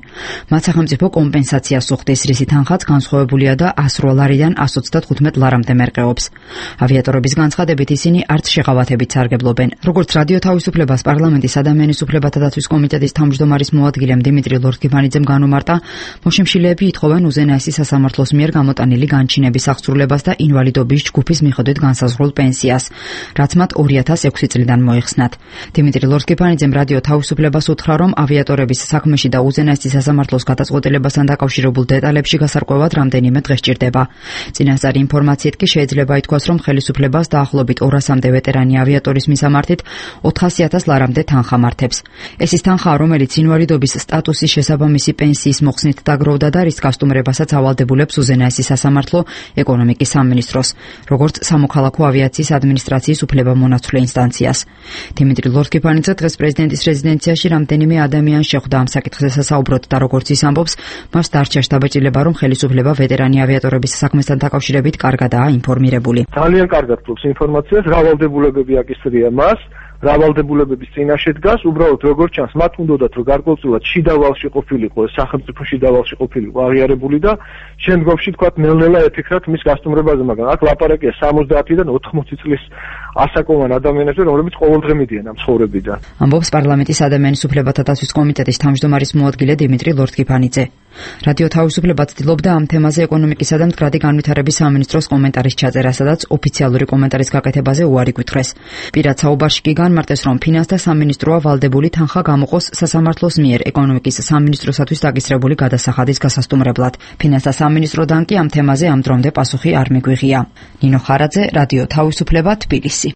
მათ სახელმწიფო კომპენსაციას უხდის, რისი თანხაც განსხვავებულია და ასი ლარიდან εκατს ოცდათხუთმეტ ლარამდე მერყეობს. ავიატორების განცხადებით ისინი არც შეღავათებით სარგებლობენ. როგორც რადიო თავისუფლებას პარლამენტის ადამიანის უფლებათა დაცვის კომიტეტის თავმჯდომარის მოადგილემ დიმიტრი ლორთქიფანიძემ განუმარტა, მოშიმშილეები ითხოვენ უზენაესი სასამართლოს მიერ გამოტანილი განჩინების აღსრულებას და ინვალიდობის ჯგუფის მიხედვით განსაზღვრულ პენსიას, რაც მათ ორი ათას ექვსი წლიდან მოეღო. მოიხსნათ. დიმიტრი ლორთქიფანიძემ რადიო თავისუფლებას უთხრა, რომ ავიატორების საქმეში და უზენაესი სასამართლოს გადაწყვეტილებასთან დაკავშირებულ დეტალებში გასარკვევად რამდენიმე დღე სჭირდება. წინასწარი ინფორმაციით კი შეიძლება ითქვას, რომ ხელისუფლებას დაახლოებით ორასამდე ვეტერანი ავიატორის მისამართით ოთხასი ათას ლარამდე თანხა მართებს. ეს ის თანხა, რომელიც ინვალიდობის სტატუსის შესაბამისი პენსიის მოხსნით დაგროვდა და რის გასტუმრებასაც ავალდებულებს უზენაესი სასამართლო ეკონომიკის სამინისტროს, როგორც სამოქალაქო ავიაციის ადმინისტრაციის უფლებამონაცვლე ინსტანციას. დიმიტრი ლორთქიფანიძე დღეს პრეზიდენტის რეზიდენციაში რამდენიმე ადამიანს შეხვდა ამ საკითხზე სასაუბროდ და როგორც ის ამბობს, მას დარჩა შთაბეჭდილება, რომ ხელისუფლება ვეტერანი ავიატორების საქმესთან დაკავშირებით კარგადაა ინფორმირებული. ძალიან კარგად ფლობს ინფორმაციას, რა ვალდებულებები აკისრია მას, რა ვალდებულებების წინაშე დგას, უბრალოდ როგორც ჩანს, მათ უნდათ რომ გარკვეულწილად შიდა ვალში ყოფილიყო, სახელმწიფო შიდა ვალში ყოფილიყო აღიარებული და შემდგომში თქვათ ნელ-ნელა ეთიქრათ მის გასტუმრებაზე, მაგრამ აქ ლაპარაკია სამოცდაათიდან ოთხმოცი წლის ასაკოვან ადამიანებზე, რომლებიც ყოველდღე მიდიან ამ ცხოვრებიდან. ამბობს პარლამენტის ადამიანის უფლებათა დაცვის კომიტეტის თავმჯდომარის მოადგილე დიმიტრი ლორთქიფანიძე. რადიო თავისუფლება ცდილობდა ამ თემაზე ეკონომიკისა და მდგრადი განვითარების სამინისტროს კომენტარის ჩაწერა, სადაც ოფიციალური კომენტარის გაკეთებაზე უარი გვითხრეს. პირად საუბარში კი განმარტეს, რომ ფინანსთა სამინისტროა ვალდებული თანხა გამოყოს სასამართლოს მიერ ეკონომიკის სამინისტროსათვის დაგისრებული გადასახადის გასასტუმრებლად. ფინანსთა სამინისტროდან კი ამ თემაზე ამ დრომდე პასუხი არ მიგვიღია. ნინო ხარაძე, რადიო თავისუფლება, თბილისი.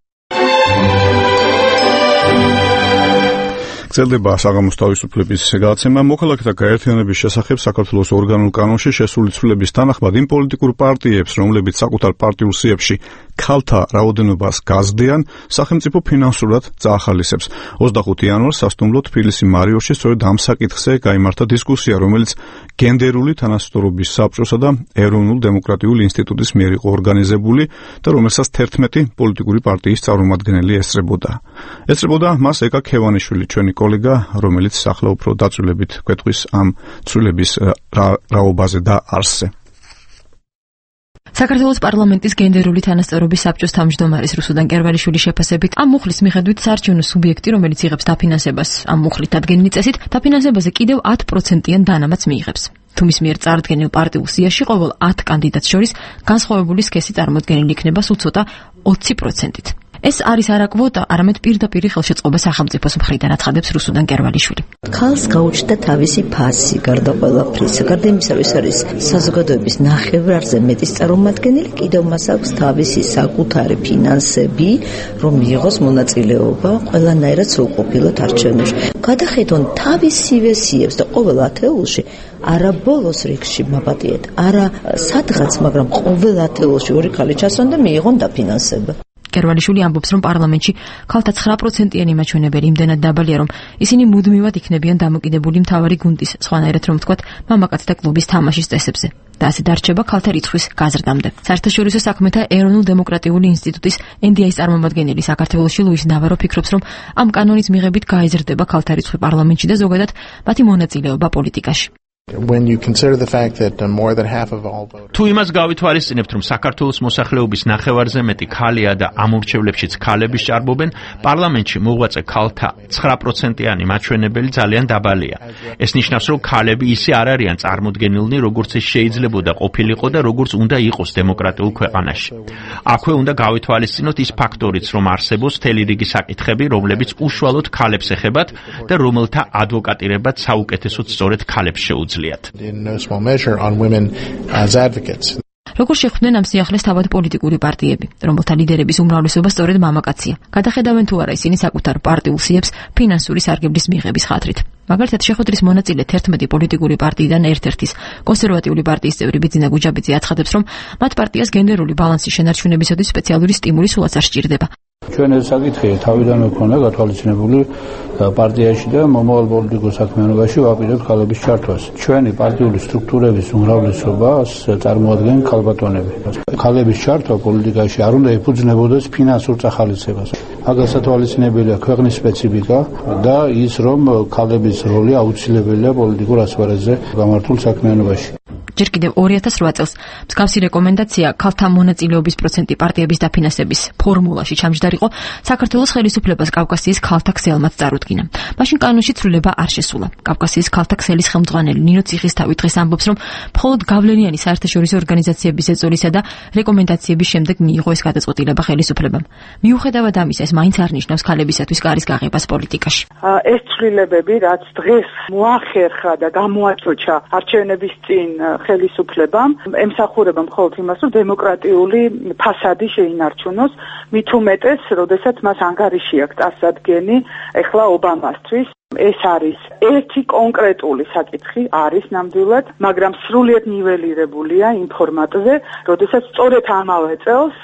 გრძელდება საღამოს თავისუფლების გადაცემა. მოქალაქეთა გაერთიანების შესახებ საქართველოს ორგანულ კანონში შესული ცვლილების თანახმად იმ პოლიტიკურ პარტიებს, რომლებიც საკუთარ პარტიულ სიებში ქალთა რაოდენობას გაზრდიან, სახელმწიფო ფინანსურად წაახალისებს. ოცდახუთი იანვარს სასტუმრო თბილისი მარიოში სწორედ ამ საკითხზე გაიმართა დისკუსია, რომელიც გენდერული თანასწორობის საბჭოსა და ეროვნულ დემოკრატიულ ინსტიტუტის მიერ იყო ორგანიზებული და რომელსაც თერთმეტი პოლიტიკური პარტიის წარმომადგენელი ესწრებოდა. ესწრებოდა მას ეკა ქევანიშვილი, ჩვენი კოლეგა, რომელიც ახლა უფრო დაწვრილებით გვეტყვის ამ ცვლილების რაობაზე და არსზე. საქართველოს პარლამენტის გენდერული თანასწორობის საბჭოს თავმჯდომარის რუსუდან კერვალიშვილის შეფასებით, ამ მუხლის მიხედვით საარჩევნო სუბიექტი, რომელიც იღებს დაფინანსებას ამ მუხლით დადგენილი წესით, დაფინანსებაზე კიდევ ათი პროცენტიან დანამატს მიიღებს. თუ მის მიერ წარდგენილ პარტიულ სიაში ყოველ ათი კანდიდატს შორის განსხვავებული სქესი წარმოდგენილი იქნება სულ ცოტა ოცი პროცენტით. ეს არის არა კვოტა, არამედ პირდაპირ ხელშეწყობა სახელმწიფოს მხრიდან, აცხადებს რუსუდან კერვალიშვილი. ქალს გაუჩნდა თავისი ფასი, გარდა ყველაფრისა, გარდა იმისა, ის არის საზოგადოების ნახევრარზე მეტის წარმომადგენელი, კიდევ მას აქვს თავისი საკუთარი ფინანსები, რომ მიიღოს მონაწილეობა ყველანაირად სრულყოფილად არჩევნებში. გადახედონ თავისივე სიებს და ყოველ ათეულში არა ბოლოს რიგში მაპატიეთ, არა სადღაც, მაგრამ ყოველ ათეულში ორი ხალი ჩასვან და მიიღონ დაფინანსება. კერვალიშვილი ამბობს, რომ პარლამენტში ქალთა ცხრა პროცენტიანი მაჩვენებელი იმდენად დაბალია, რომ ისინი მუდმივად იქნებიან დამოკიდებული მთავარი გუნდის, სხვანაირად რომ ვთქვათ, მამაკაცთა კლუბის თამაშის წესებზე. და ასე დარჩება ქალთა რიცხვის გაზრდამდე. საერთაშორისო საქმეთა ეროვნულ დემოკრატიული ინსტიტუტის ენ დი აის წარმომადგენელი საქართველოში ლუის ნავარო ფიქრობს, რომ ამ კანონის მიღებით გაიზრდება ქალთა რიცხვი პარლამენტში და ზოგადად მათი მონაწილეობა პოლიტიკაში. When you consider the fact that uh, more than half of all voters თუ იმას გავითვალისწინებთ, რომ საქართველოს მოსახლეობის ნახევარზე მეტი ქალია და ამ ურჩევლებშიც ქალები სჭარბობენ, პარლამენტში მოღვაწე ქალთა ცხრა პროცენტიანი მაჩვენებელი ძალიან დაბალია. ეს ნიშნავს, რომ ქალები ისე არ არიან წარმოდგენილნი, როგორც ეს შეიძლებოდა ყოფილიყო და როგორც უნდა იყოს დემოკრატიულ ქვეყანაში. აქვე უნდა გავითვალისწინოთ ის ფაქტორიც, რომ არსებობს მთელი რიგი საკითხები, რომლებიც უშუალოდ ქალებს ეხებათ და რომელთა ადვოკატირებაც საუკეთესოდ სწორედ ქალებს შეუძლია. in no small measure on women as advocates. როგორ შეხვდნენ ამ სიახლეს თავად პოლიტიკური პარტიები, რომელთა ლიდერების უმრავლესობა სწორედ მამაკაცია. გადახედავენ თუ არა ისინი საკუთარ პარტიულ სიებს ფინანსური სარგებლის მიღების ხათრით. მაგალითად, შეხვედრის მონაწილე თერთმეტი პოლიტიკური პარტიიდან ერთ-ერთის კონსერვატიული პარტიის წევრი ბიძინა გუჯაბიძე აცხადებს, რომ მათ პარტიას გენდერული ბალანსის შენარჩუნებისათვის სპეციალური სტიმული სულაც არ სჭირდება. ჩვენ ეს საკითხი თავიდანვე ქონდა გათვალისწინებული პარტიაში და მომავალ პოლიტიკურ საქმიანობაში ვაპირებთ ქალების ჩართვას. ჩვენი პარტიული სტრუქტურების უმრავლესობას წარმოადგენენ ქალბატონები. ქალების ჩართვა პოლიტიკაში არ უნდა ეფუძნებოდეს ფინანსურ წახალისებას. აქ გასათვალისწინებელია ქვეყნის სპეციფიკა და ის, რომ ქალების როლი აუცილებელია პოლიტიკურ ასპარეზზე გამართულ საქმიანობაში. ჯერ კიდევ ორი ათას რვა წელს მსგავსი რეკომენდაცია ქალთა მონაწილეობის პროცენტი პარტიების დაფინანსების ფორმულაში ჩამჯდარიყო, საქართველოს ხელისუფლებას კავკასიის ქალთა ქსელმაც წარუდგინა. მაშინ კანონში ცვლილება არ შესულა. კავკასიის ქალთა ქსელის ხელმძღვანელი ნინო ციხისთავი დღეს ამბობს, რომ მხოლოდ გავლენიანი საერთაშორისო ორგანიზაციების ეწოლისა და რეკომენდაციების შემდეგ მიიღო ეს გადაწყვეტილება ხელისუფლებამ. მიუხედავად ამისა, ეს მაინც არ ნიშნავს ქალებისათვის კარის გაღებას პოლიტიკაში. ეს ცვლილებები, რაც დღეს მოახერხა და გამოაწოჩა არჩევნების წინ ხელისუფლებამ, ემსახურება მხოლოდ იმას, რომ დემოკრატიული ფასადი შეინარჩუნოს, მით უმეტეს, როდესაც მას ანგარიში აქვს წარსადგენი ეხლა ობამასთვის. ეს არის ერთი კონკრეტული საკითხი, არის ნამდვილად, მაგრამ სრულიად ნიველირებულია იმ ფორმატზე, როდესაც სწორედ ამავე წელს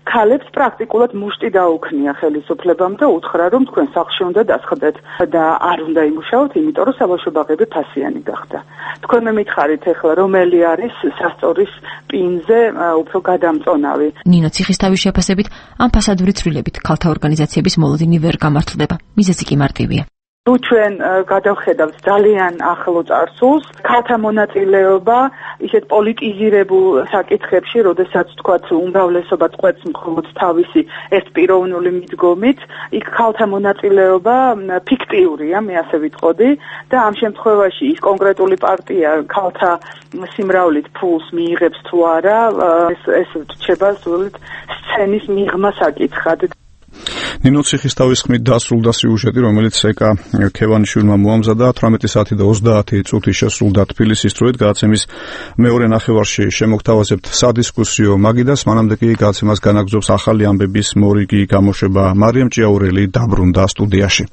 ქალებს პრაქტიკულად მუშტი დაუქნია ხელისუფლებამ და უთხრა, რომ თქვენ სახლში უნდა დასხდეთ და არ უნდა იმუშაოთ, იმიტომ რომ საბავშვო ბაღები ფასიანი გახდა. თქვენ მე მითხარით ეხლა, რომელი არის სასწორის პინზე უფრო გადამწონავი. ნინო ციხისთავის შეფასებით, ამ ფასადური ცვლილებით ქალთა ორგანიზაციების მოლოდინი ვერ გამართლდება. მიზეზი კი მარტივია. თუ ჩვენ გადავხედავთ ძალიან ახლო წარსულს, ქალთა მონაწილეობა ისეთ პოლიტიზირებულ საკითხებში, როდესაც თქვათ უმრავლესობა წყვეტს მხოლოდ თავისი ეს პიროვნული მიდგომით, იქ ქალთა მონაწილეობა ფიქტიურია, მე ასე ვიტყოდი და ამ შემთხვევაში ის კონკრეტული პარტია ქალთა სიმრავლით ფულს მიიღებს თუ არა, ეს ეს რჩება სულით სცენის მიღმა საკითხად. ნინო ციხისთავის ხმით დასრულდა სიუჟეტი, რომელიც ეკა ქევანიშვილმა მოამზადა თვრამეტი საათი და ოცდაათი წუთი შესრულდა თბილისის დროით. გადაცემის მეორე ნახევარში შემოგთავაზებთ სადისკუსიო მაგიდას, მანამდე კი გადაცემას განაგრძობს ახალი ამბების მორიგი გამოშვება. მარიამ ჭიაურელი დაბრუნდა სტუდიაში.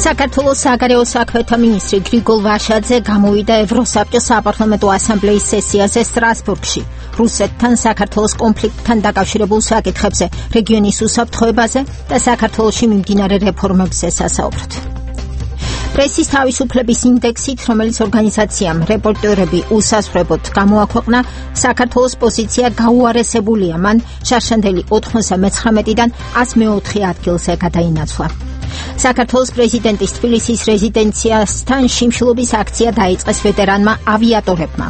საქართველოს საგარეო საქმეთა მინისტრი გრიგოლ ვაშაძე გამოვიდა ევროსაბჭოს საპარლამენტო ასამბლეის სესიაზე სტრასბურგში. რუსეთთან საქართველოს კონფლიქტთან დაკავშირებულ საკითხებზე, რეგიონის უსაფრთხოებაზე და საქართველოში მიმდინარე რეფორმებზე სასაუბროთ. პრესის თავისუფლების ინდექსით, რომელიც ორგანიზაციამ რეპორტერები უსასრულოდ გამოაქვეყნა, საქართველოს პოზიცია გაუარესებულია, მან შარშანდელი ოთხმოცდამეცხრამეტიდან ასი მეოთხე ადგილზე გადაინაცვლა. საქართველოს პრეზიდენტის თბილისის რეზიდენციასთან შიმშილობის აქცია დაიწყეს ვეტერანმა ავიატორებმა.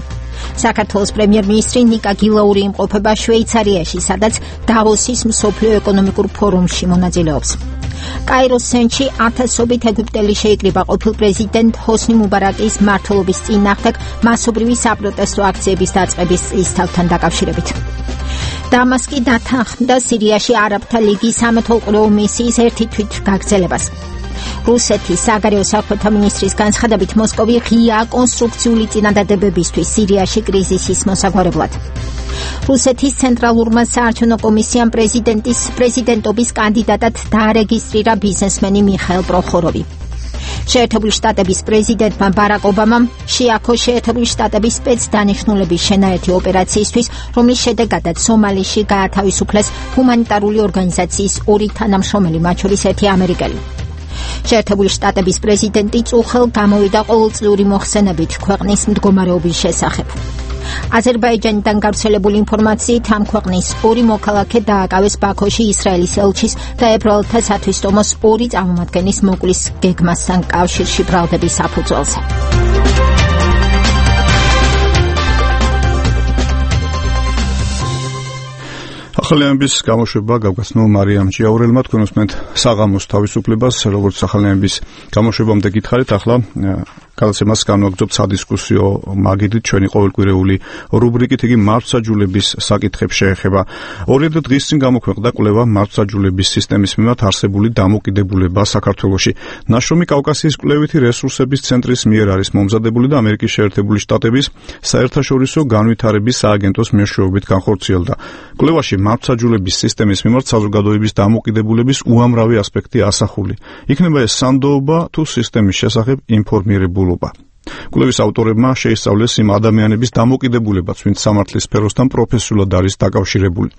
საქართველოს პრემიერ-მინისტრი ნიკა გილაური იმყოფება შვეიცარიაში, სადაც დავოსის მსოფლიო ეკონომიკურ ფორუმში მონაწილეობს. კაიროს ცენტრში ათასობით ეგვიპტელი შეიკრიბა ყოფილ პრეზიდენტ ჰოსნი მუბარაკის მმართველობის წინააღმდეგ მასობრივი საპროტესტო აქციების დაწყების წლისთავთან დაკავშირებით. დამასკი დათანხმდა სირიაში არაბთა ლიგის სამეთვალყურეო მისიის ერთი თვით გაგრძელებას. რუსეთის საგარეო საქმეთა მინისტრის განცხადებით, მოსკოვი ღია კონსტრუქციული წინადადებებისთვის სირიაში კრიზისის მოსაგვარებლად. რუსეთის ცენტრალურმა საარჩევნო კომისიამ პრეზიდენტის პრეზიდენტობის კანდიდატად დაარეგისტრირა ბიზნესმენი მიხაილ პროხოროვი. შეერთებული შტატების პრეზიდენტმა ბარაკ ობამამ შეაქო შეერთებული შტატების სპეცდანიშნულების შენაერთი ოპერაციისთვის, რომლის შედეგადაც სომალიში გაათავისუფლეს ჰუმანიტარული ორგანიზაციის ორი თანამშრომელი, მათ შორის ერთი ამერიკელი. შეერთებული შტატების პრეზიდენტი წუხელ გამოვიდა ყოველწლიური მოხსენებით ქვეყნის მდგომარეობის შესახებ. აზერბაიჯანიდან გავრცელებული ინფორმაციით, ამ ქვეყნის ორი მოქალაქე დააკავეს ბაქოში ისრაელის ელჩის და ებრაელთა სათვისტომოს ორი წარმომადგენლის მოკვლის გეგმასთან კავშირში ბრალდების საფუძველზე. ახალი ამბის გამოშვება გავგაცნო მარიამ ჭიაურელმა. თქვენ უსმენთ საღამოს თავისუფლებას, როგორც ახალი ამბის გამოშვებამდე გითხარით, ახლა გადაცემას განვაგრძობთ სადისკუსიო მაგიდით, ჩვენი ყოველკვირეული რუბრიკით. იგი მართლმსაჯულების საკითხებს შეეხება. ორი დღის წინ გამოქვეყნდა კვლევა მართლმსაჯულების სისტემის მიმართ არსებული დამოკიდებულება საქართველოში. ნაშრომი კავკასიის კვლევითი რესურსების ცენტრის მიერ არის მომზადებული და ამერიკის შეერთებული შტატების საერთაშორისო განვითარების სააგენტოს მეშვეობით განხორციელდა. კვლევაში მართლმსაჯულების სისტემის მიმართ საზოგადოების დამოკიდებულების უამრავი ასპექტი ასახული. იქნება ეს სანდოობა თუ სისტემის შესახებ ინფორმირებულობა. კვლევის ავტორებმა შეისწავლეს იმ ადამიანების დამოკიდებულებაც, ვინც სამართლის სფეროსთან პროფესიულად არის დაკავშირებული.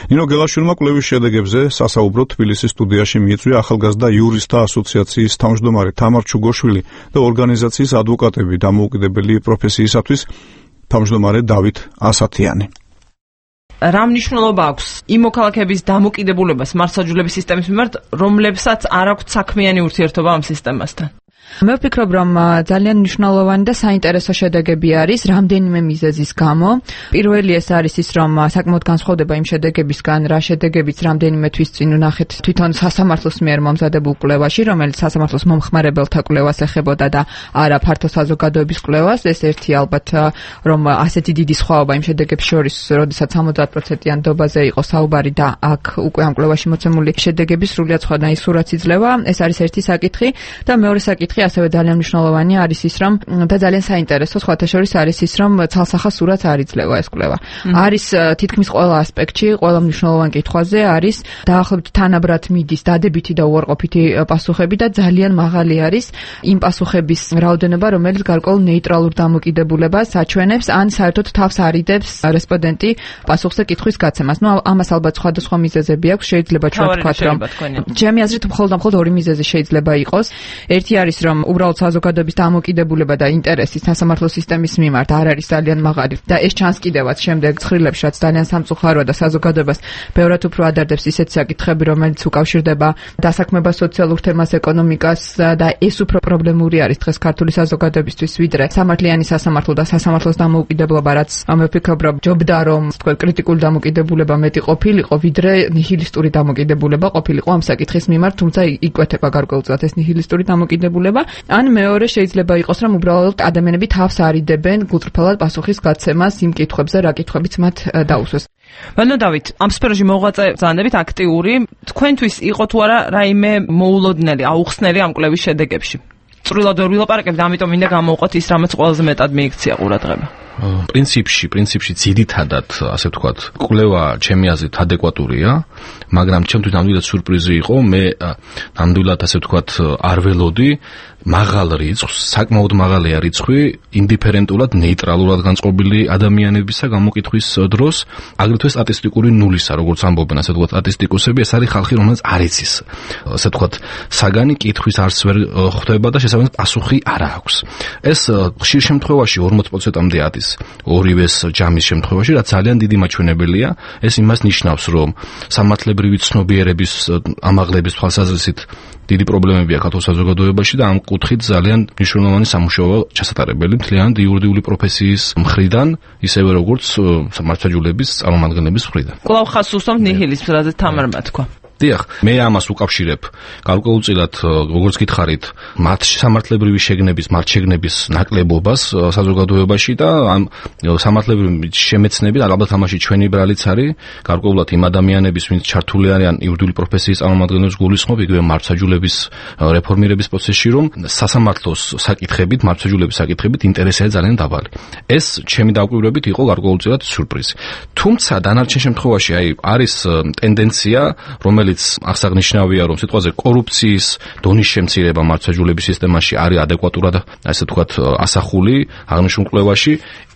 ნინო გელაშვილმა კვლევის შედეგებზე სასაუბროდ თბილისის სტუდიაში მიიწვია ახალგაზრდა იურისტთა ასოციაციის თავმჯდომარე თამარ ჩუგოშვილი და ორგანიზაციის ადვოკატები დამოუკიდებელი პროფესიისათვის თავმჯდომარე დავით ასათიანი. რა მნიშვნელობა აქვს იმ მოქალაქეების დამოკიდებულებას მართლმსაჯულების სისტემის მიმართ, რომლებსაც არ აქვთ საქმიანი ურთიერთობა ამ სისტემასთან? მე ვფიქრობ, რომ ძალიან მნიშვნელოვანი და საინტერესო შედეგები არის რამდენიმე მიზეზის გამო. პირველი ეს არის ის, რომ საკმაოდ განსხვავდება იმ შედეგებისგან, რა შედეგებიც რამდენიმე თვის წინ ვნახეთ თვითონ სასამართლოს მიერ მომზადებულ კვლევაში, რომელიც სასამართლოს მომხმარებელთა კვლევას ეხებოდა და არა ფართო საზოგადოების კვლევას. ეს ერთი ალბათ, რომ ასეთი დიდი სხვაობა იმ შედეგებს შორის, როდესაც ოცდაათ პროცენტიან დობაზე იყო საუბარი და აქ უკვე ამ კვლევაში მოცემული შედეგები სრულიად სხვადასხვა სურათს იძლევა. ეს არის ერთი საკითხი და მეორე საკითხი ასევე ძალიან მნიშვნელოვანი არის ის, რომ და ძალიან საინტერესო სხვათა შორის არის ის, რომ ცალსახა სურათს არ იძლევა ეს კვლევა. არის თითქმის ყველა ასპექტში, ყველა მნიშვნელოვან კითხვაზე არის დაახლოებით თანაბრად მიდის დადებითი და უარყოფითი პასუხები და ძალიან მაღალი არის იმ პასუხების რაოდენობა, რომელიც გარკვეულ ნეიტრალურ დამოკიდებულებას აჩვენებს ან საერთოდ თავს არიდებს რესპონდენტი პასუხზე კითხვის გაცემას. ნუ ამას ალბათ სხვადასხვა მიზეზები აქვს, შეიძლება ჩვენ ვთქვათ, რომ ჩემი აზრით მხოლოდ და მხოლოდ ორი მიზეზი შეიძლება იყოს. ერთი არის, რომ უბრალოდ საზოგადოების დამოკიდებულება და ინტერესი სასამართლო სისტემის მიმართ არ არის ძალიან მაღალი და ეს ჩანს კიდევაც შემდეგ ცხრილებში, რაც ძალიან სამწუხაროა და საზოგადოებას ბევრად უფრო ადარდებს ისეთი საკითხები, რომელიც უკავშირდება დასაქმებას, სოციალურ თემას, ეკონომიკას და ეს უფრო პრობლემური არის დღეს ქართული საზოგადოებისთვის, ვიდრე სამართლიანი სასამართლო და სასამართლოს დამოუკიდებლობა, რაც მე ვფიქრობ, რომ ჯობდა რომ თქვენ კრიტიკული დამოკიდებულება მეტი ყოფილიყო, ვიდრე ნიჰილისტური დამოკიდებულება ყოფილიყო ამ საკითხის მიმართ, თუმცა იკვეთება გარკვეულწილად ეს ნიჰილისტური დამოკიდებულება. ან მეორე შეიძლება იყოს, რომ უბრალოდ ადამიანები თავს არიდებენ გულწრფელად პასუხის გაცემას იმ კითხვებზე, რა კითხვებიც მათ დაუსვეს. ბატონო დავით, ამ სფეროში მოღვაწე ბრძანდებით აქტიური, თქვენთვის იყო თუ არა რაიმე მოულოდნელი, აუხსნელი ამ კვლევის შედეგებში? წვრილად ვერ ვილაპარაკებ და ამიტომ მინდა გამოვყოთ ის, რამაც ყველაზე მეტად მიიქცია ყურადღება. პრინციპში, პრინციპში ძირითადად, ასე ვთქვათ, კვლევა ჩემი აზრით ადეკვატურია, მაგრამ ჩემთვის ნამდვილად სურპრიზი იყო, მე ნამდვილად ასე ვთქვათ არ ველოდი მაღალ რიცხვს, საკმაოდ მაღალია რიცხვი ინდიფერენტულად, ნეიტრალურად განწყობილი ადამიანებისა გამოკითხვის დროს, აგრეთვე სტატისტიკური ნულისა, როგორც ამბობენ, ასე ვთქვათ, სტატისტიკოსები, ეს არის ხალხი, რომელიც არ იცის, ასე ვთქვათ, საგანი კითხვის არც ვერ ხვდება და შესაბამისად პასუხი არ აქვს. ეს ხშირ შემთხვევაში ორმოც პროცენტამდე არის ორივეს ჯამის შემთხვევაში, რაც ძალიან დიდი მაჩვენებელია. ეს იმას ნიშნავს, რომ სამართლებრივი ცნობიერების ამაღლების თვალსაზრისით დიდი პრობლემებია ქართულ საზოგადოებაში და ამ კუთხით ძალიან მნიშვნელოვანი სამუშაოა ჩასატარებელი მთლიანად იურიდიული პროფესიის მხრიდან, ისევე როგორც მართლმსაჯულების წარმომადგენლების მხრიდან. კვლავ ხაზს უსვამთ ნიჰილიზმს, რადგან თამარმა თქვა. დიახ, მე ამას უკავშირებ გარკვეულწილად, როგორც გითხარით, მათ სამართლებრივი შეგნების, მათ შეგნების ნაკლებობას საზოგადოებაში და ამ სამართლებრივი შემეცნებით, ალბათ ამაში ჩვენი ბრალიც არის, გარკვეულად იმ ადამიანების, ვინც ჩართული არიან იურიდიული პროფესიის წარმომადგენლებს გულისხმობ, იგივე მართლმსაჯულების რეფორმირების პროცესში, რომ სასამართლოს საკითხებით, მართლმსაჯულების საკითხებით ინტერესია ძალიან დაბალი. ეს ჩემი დაკვირვებით იყო გარკვეულწილად სიურპრიზი. თუმცა დანარჩენ შემთხვევაში აი არის ტენდენცია, რომელიც აღსანიშნავია, რომ სიტყვაზე კორუფციის დონის შემცირება მართლმსაჯულების სისტემაში არის ადეკვატურად, ასე ვთქვათ, ასახული აღნიშნულ კვლევაში.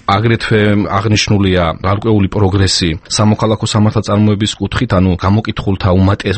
აგრეთვე აღნიშნულია გარკვეული პროგრესი სამოქალაქო სამართალწარმოების კუთხით, ანუ გამოკითხულთა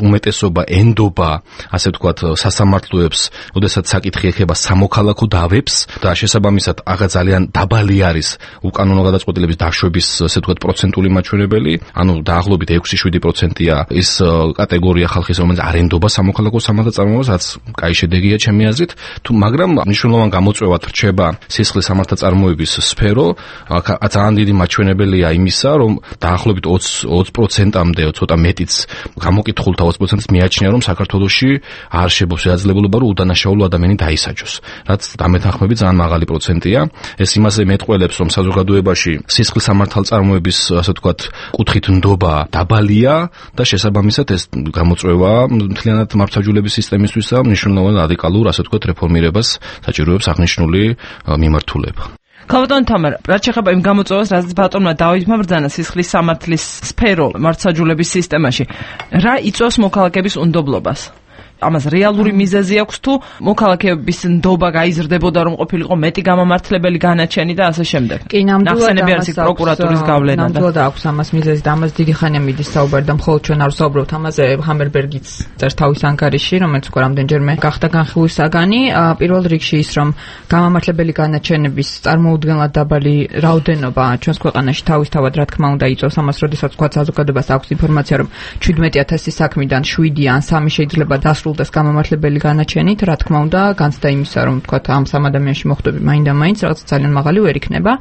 უმეტესობა ენდობა, ასე ვთქვათ, სასამართლოებს, როდესაც საკითხი ეხება სამოქალაქო დავებს და შესაბამისად აღა ძალიან დაბალი არის უკანონო გადაწყვეტილების დაშვების, ასე ვთქვათ, პროცენტული მაჩვენებელი, ანუ დაახლოებით ექვსი შვიდი პროცენტია ის კატეგორია ხალხის, რომელიც არ ენდობა სამოქალაქო სამართალწარმოებას, რაც კაი შედეგია ჩემი აზრით, თუ მაგრამ მნიშვნელოვან გამოწვევად რჩება სისხლის სამართალწარმოების სფერო. ძალიან დიდი მაჩვენებელია იმისა, რომ დაახლოებით ოცი პროცენტამდე, ცოტა მეტიც გამოკითხულთა ოცი პროცენტს მიაჩნია, რომ საქართველოში არ შეძლებს შესაძლებლობა, რომ უდანაშაულო ადამიანი დაისაჯოს, რაც დამეთანხმებით ძალიან მაღალი პროცენტია. ეს იმაზე მეტყველებს, რომ საზოგადოებაში სისხლის სამართალწარმოების, ასე ვთქვათ, კუთხით ნდობა დაბალია და შესაბამისად ეს გამოწვევა მთლიანად მართლმსაჯულების სისტემისთვის მნიშვნელოვან რადიკალურ, ასე ვთქვათ, რეფორმირებას საჭიროებს აღნიშნული მიმართულება. ქალბატონ თამარ, რაც შეეხება იმ გამოწვევას, რაც ბატონმა დავითმა ბრძანა სისხლის სამართლის სფერო მართლმსაჯულების სისტემაში, რა იწვევს მოქალაქეების უნდობლობას? ამას რეალური მიზეზი აქვს თუ მოქალაქეების ნდობა გაიზრდებოდა, რომ ყოფილიყო მეტი გამამართლებელი განაჩენი და ასე შემდეგ. კი, ნამდვილად არის პროკურატურის გავლენა. ნამდვილად აქვს ამას მიზეზი და ამას დიდი ხანია მიდის საუბარი და მხოლოდ ჩვენ არ ვსაუბრობთ ამაზე. ჰამერბერგიც წერს თავის ანგარიში, რომელიც უკვე რამდენჯერმე გახდა განხილვის საგანი. პირველ რიგში ის, რომ გამამართლებელი განაჩენების წარმოუდგენლად დაბალი რაოდენობა ჩვენს ქვეყანაში თავისთავად რა თქმა უნდა იწვევს ამას, როდესაც თქვა საზოგადოებას აქვს ინფორმაცია, რომ ჩვიდმეტი ათასი საქმიდან შვიდი ან სამი შეიძლება დასრულდეს დასრულდეს გამომართლებელი განაჩენით, რა თქმა უნდა, განცდა იმისა, რომ თქვა ამ სამ ადამიანში მოხდები მაინდა-მაინც რაღაც ძალიან მაღალი ვერ იქნება.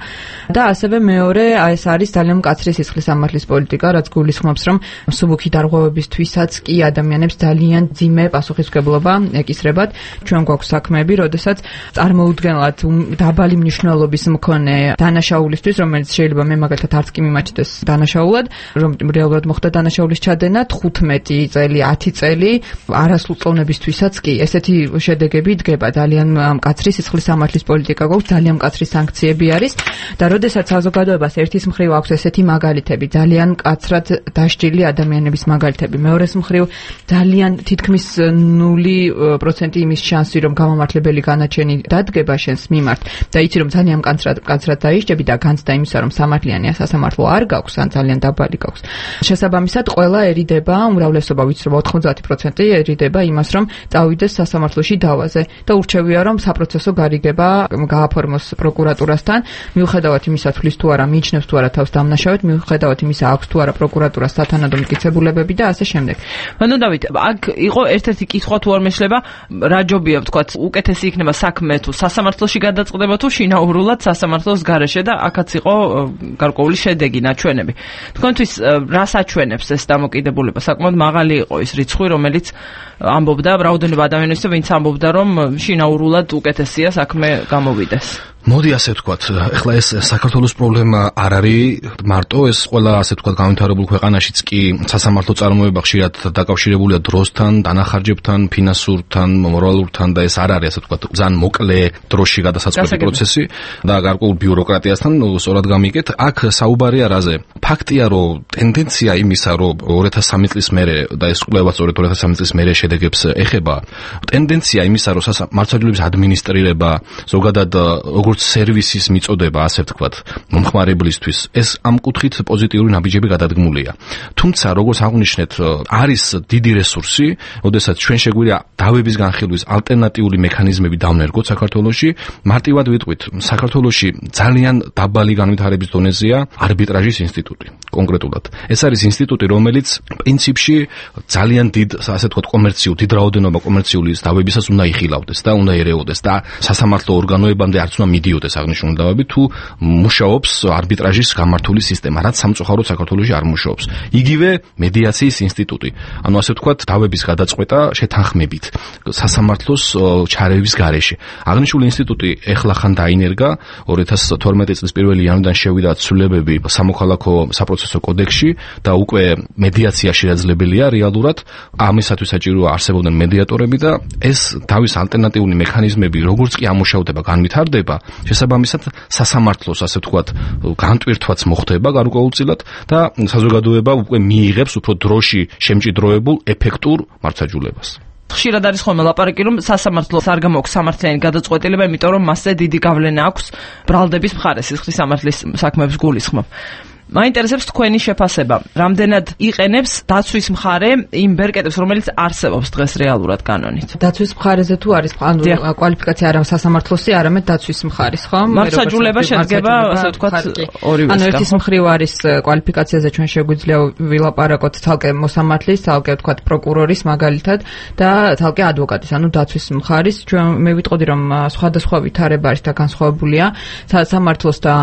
და ასევე მეორე, ეს არის ძალიან მკაცრი სისხლის სამართლის პოლიტიკა, რაც გულისხმობს, რომ მსუბუქი დარღვევებისთვისაც კი ადამიანებს ძალიან ძიმე პასუხისმგებლობა ეკისრებათ. ჩვენ გვაქვს საქმეები, როდესაც წარმოუდგენლად დაბალი მნიშვნელობის მქონე დანაშაულისთვის, რომელიც შეიძლება მე მაგალითად არც კი მიმაჩნდეს დანაშაულად, რომ რეალურად მოხდა დანაშაულის ჩადენა თხუთმეტი წელი, ათი წელი არასრულ წონებისთვისაც კი ესეთი შედეგები დგება. ძალიან მკაცრი სისხლის სამართლის პოლიტიკა გვაქვს, ძალიან მკაცრი სანქციები არის და როდესაც საზოგადოებას ერთის მხრივ აქვს ესეთი მაგალითები, ძალიან მკაცრად დასჯილი ადამიანების მაგალითები, მეორეს მხრივ ძალიან თითქმის ნული პროცენტი იმის შანსი, რომ გამომართლებელი განაჩენი დადგება შენს მიმართ და იცი რომ ძალიან მკაცრად მკაცრად დაიშჯები და განცდა იმისა, რომ სამართლიანი სასამართლო არ გაქვს, ან ძალიან დაბალი გაქვს. შესაბამისად, ყველაერიდება, უმრავლესობა ვიცი რომ ოთხმოცდაათი პროცენტიერიდება იმას, რომ წავიდეს სასამართლოში დავაზე და ურჩევია, რომ საპროცესო გარიგება გააფორმოს პროკურატურასთან, მიუხედავად იმისა, თulis თუ არა მიიჩნევს თუ არა თავს დამნაშავედ, მიუხედავად იმისა, აქვს თუ არა პროკურატურას სათანადო მტკიცებულებები და ასე შემდეგ. ანუ დავით, აქ იყო ერთ-ერთი კითხვა თუ არ მეშლება, რა ჯობია ვთქვათ, უკეთესი იქნება საქმე თუ სასამართლოში გადაწყდება თუ შინაურულად სასამართლოს გარეშე და აქაც იყო გარკვეული შედეგი, ნაჩვენები. თქვენთვის რას აჩვენებს ეს დამოკიდებულება? საკმაოდ მაღალი იყო ის რიცხვი, რომელიც ამბობდა რაოდენობა ადამიანის, ვინც ამბობდა, რომ შინაურულად უკეთესია საქმე გამოვიდეს. მოდი ასე ვთქვათ, ეხლა ეს საქართველოს პრობლემა არ არის მარტო, ეს ყველა ასე ვთქვათ განვითარებულ ქვეყანაშიც კი სასამართლო წარმოება ხშირად დაკავშირებულია დროსთან, დანახარჯებთან, ფინანსურთან, მორალურთან და ეს არ არის ასე ვთქვათ ძალიან მოკლე დროში გადასაწყვეტი პროცესი და გარკვეულ ბიუროკრატიასთან სწორად გამიგეთ. აქ საუბარია რაზე? ფაქტია, რომ ტენდენცია იმისა, რომ ორი ათას სამი წლის მერე და ეს კვლევა სწორედ ორი ათას სამი წლის მერე შედეგებს ეხება, ტენდენცია იმისა, რომ მართლმსაჯულების ადმინისტრირება ზოგადად როგორც სერვისის მიწოდება, ასე ვთქვათ, მომხმარებლისთვის, ეს ამ კუთხით პოზიტიური ნაბიჯები გადადგმულია. თუმცა, როგორც აღნიშნეთ, არის დიდი რესურსი, როდესაც ჩვენ შეგვიძლია დავების განხილვის ალტერნატიული მექანიზმები დავნერგოთ საქართველოში. მარტივად ვიტყვით, საქართველოში ძალიან დაბალი განვითარების დონეზეა არბიტრაჟის ინსტიტუტი, კონკრეტულად. ეს არის ინსტიტუტი, რომელიც პრინციპში ძალიან დიდ, ასე ვთქვათ, კომერციულ, დიდ რაოდენობა კომერციული დავებისას უნდა იხილავდეს და უნდა ერეოდეს და სასამართლო ორგანოებამდე არც უნდა მიდიოდეს აღნიშნული დავები, თუ მუშაობს არბიტრაჟის გამართული სისტემა, რაც სამწუხაროდ საქართველოში არ მუშაობს. იგივე მედიაციის ინსტიტუტი. ანუ ასე ვთქვათ, დავების გადაწყვეტა შეთანხმებით სასამართლოს ჩარევის გარეშე. აღნიშნული ინსტიტუტი ეხლახან დაინერგა, ორი ათას თორმეტი წლის პირველი იანვრიდან შევიდა ცვლილებები სამოქალაქო საპროცესო კოდექსში და უკვე მედიაცია შესაძლებელია რეალურად. ამისათვის საჭიროა არსებობდნენ მედიატორები და ეს დავის ალტერნატიული მექანიზმები როგორც კი ამუშავდება, განვითარდება, შესაბამისად სასამართლოს ასე ვთქვათ განტვირთვაც მოხდება გარკვეულწილად და საზოგადოება უკვე მიიღებს უფრო დროში შემჭიდროებულ ეფექტურ მართლმსაჯულებას. ხშირად არის ხოლმე ლაპარაკი, რომ სასამართლოს არ გამაქვს სამართლიანი გადაწყვეტილება, იმიტომ რომ მასზე დიდი გავლენა აქვს ბრალდების მხარეს, სისხლის სამართლის საქმეებს გულისხმობ. მაინტერესებს თქვენი შეფასება, რამდენად იყენებს დაცვის მხარე იმ ბერკეტებს, რომელიც არსებობს დღეს რეალურად კანონით. დაცვის მხარეზე თუ არის ანუ კვალიფიკაცია არა სასამართლოსი, არამედ დაცვის მხარის, ხო? მართლმსაჯულება შედგება, ასე ვთქვათ, ორივესგან. ანუ ერთის მხრივ არის კვალიფიკაციაზე ჩვენ შეგვიძლია ვილაპარაკოთ თალკე მოსამართლის, თალკე ვთქვათ პროკურორის მაგალითად და თალკე ადვოკატის, ანუ დაცვის მხარის. ჩვენ მე ვიტყოდი, რომ სხვადასხვა ვითარება არის და განსხვავებულია. სასამართლოს და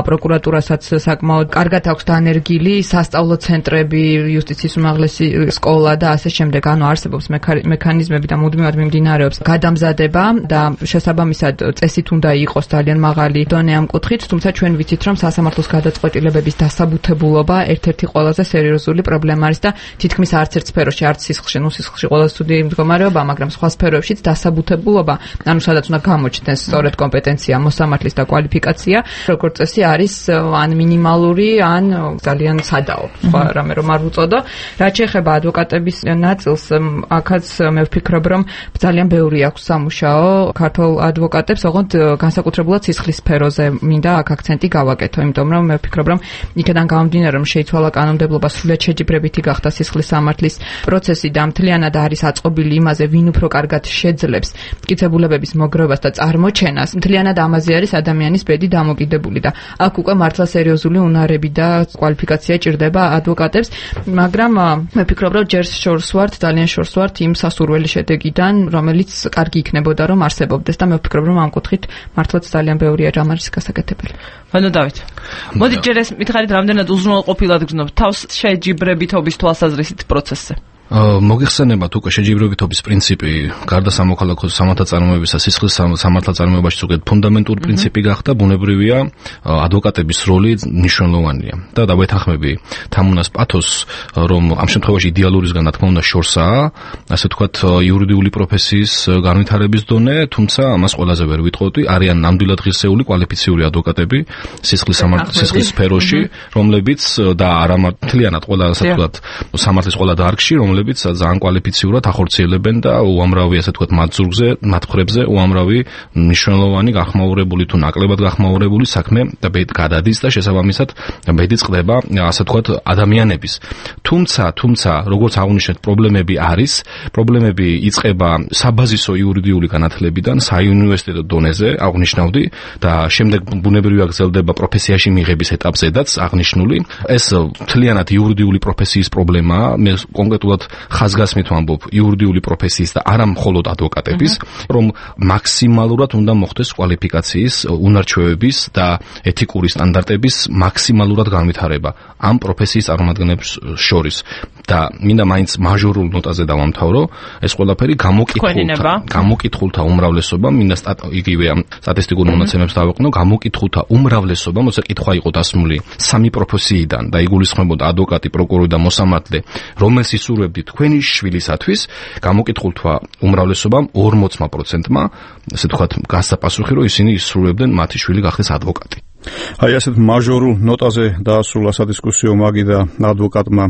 პროკურატურასაც საკმაოდ კარგად აქვს დანერგილი სასწავლო ცენტრები, იუსტიციის უმაღლესი სკოლა და ასე შემდეგ. ანუ არსებობს მექანიზმები და მუდმივად მიმდინარეობს გადამზადება და შესაბამისად წესით უნდა იყოს ძალიან მაღალი დონე ამ კუთხით, თუმცა ჩვენ ვიცით, რომ სასამართლოს გადაწყვეტილებების დასაბუთებულობა ერთ-ერთი ყველაზე სერიოზული პრობლემა არის და თითქმის არც ერთ სფეროში, არც სისხლში, ნუ სისხლში ყველაზე ცუდი მდგომარეობა, მაგრამ სხვა სფეროებშიც დასაბუთებულობა, ანუ სადაც უნდა გამოჩნდეს სწორედ კომპეტენცია, მოსამართლის და კვალიფიკაცია, როგორც წესი არის ან მინიმალური ან ძალიან სადაო, სხვა რამე რომ არ უწოდო. რაც შეეხება ადვოკატების ნაწილს, აქაც მე ვფიქრობ, რომ ძალიან ბევრი აქვს სამუშაო ქართულ ადვოკატებს, ოღონდ განსაკუთრებულად სისხლის სფეროზე მინდა აქ აქცენტი გავაკეთო, იმიტომ რომ მე ვფიქრობ, რომ იქიდან გამომდინარე, რომ შეიცვალა კანონმდებლობა, სრულიად შეჯიბრებითი გახდა სისხლის სამართლის პროცესი და მთლიანად არის აწყობილი იმაზე, ვინ უფრო კარგად შეძლებს მტკიცებულებების მოგროვებას და წარმოჩენას, მთლიანად ამაზე არის ადამიანის ბედი დამოკიდებული და აქ უკვე მართლა სერიოზული უნარები და და კვალიფიკაცია ჭირდება ადვოკატებს, მაგრამ მე ვფიქრობ, რომ ჯერ შორს ვართ, ძალიან შორს ვართ იმ სასურველი შედეგიდან, რომელიც კარგი იქნებოდა, რომ არსებობდეს და მე ვფიქრობ, რომ ამ კუთხით მართლაც ძალიან ბევრი რამ არის გასაკეთებელი. ვანო დავით. მოდი ჯერ ეს მითხარით, რამდენად უზრუნველყოფილად გრძნობთ თავს შეჯიბრებითობის თვალსაზრისით პროცესზე. მოგიხსენებათ უკვე შეჯიბრებითობის პრინციპი გარდა სამოქალაქო სამართალწარმოებისა სისხლის სამართალწარმოებაში ზოგადად ფუნდამენტური პრინციპი გახდა, ბუნებრივია ადვოკატების როლი მნიშვნელოვანია და დავეთანხმები თამუნას პათოსს, რომ ამ შემთხვევაში იდეალურისგან რა თქმა უნდა შორსაა, ასე ვთქვათ, იურიდიული პროფესიის განვითარების დონე, თუმცა ამას ყველაზე ვერ ვიტყოდი, არიან ნამდვილად ღირსეული კვალიფიციური ადვოკატები სისხლის სისხლის სფეროში, რომლებიც და არა მთლიანად ყველა ასე ვთქვათ სამართლის ყველა დარგში, რომლებიც ძალიან კვალიფიციურად ახორციელებენ და უამრავი ასე ვთქვათ მათ ზურგზე, მათ ხრებზე უამრავი მნიშვნელოვანი გახმაურებული თუ ნაკლებად გახმაურებული საქმე და გადადის და შესაბამისად ბედი წყდება ასე ვთქვათ ადამიანების. თუმცა, თუმცა როგორც აღნიშნეთ, პრობლემები არის, პრობლემები იწყება საბაზისო იურიდიული განათლებიდან, საუნივერსიტეტო დონეზე აღნიშნავდი და შემდეგ ბუნებრივია გრძელდება პროფესიაში მიღების ეტაპზედაც აღნიშნული. ეს მთლიანად იურიდიული პროფესიის პრობლემაა, მე კონკრეტულად ხაზგასმით ვამბობ იურიდიული პროფესიის და არა მხოლოდ ადვოკატების, რომ მაქსიმალურად უნდა მოხდეს კვალიფიკაციის, უნარჩვევების და ეთიკური სტანდარტების მაქსიმალურად განვითარება ამ პროფესიის წარმომადგენლებს შორის და მინდა მაინც მაჟორულ ნოტაზე დავამთავრო, ეს ყველაფერი გამოკითხულთა გამოკითხულთა უმრავლესობა, მინდა იგივე ამ სტატისტიკურ მონაცემებს დავეყნო, გამოკითხულთა უმრავლესობა, მოიცა კითხვა იყო დასმული სამი პროფესიიდან და იგულისხმებოდა ადვოკატი, პროკურორი და მოსამართლე, რომელს ისურვებდი თქვენი შვილისათვის, გამოკითხულთა უმრავლესობამ ორმოც პროცენტმა, ასე ვთქვათ, გასაპასუხი, რომ ისინი ისურვებდნენ მათი შვილი გახდეს ადვოკატი. აი ასეთ მაჟორულ ნოტაზე დაასრულა სადისკუსიო მაგი და ადვოკატმა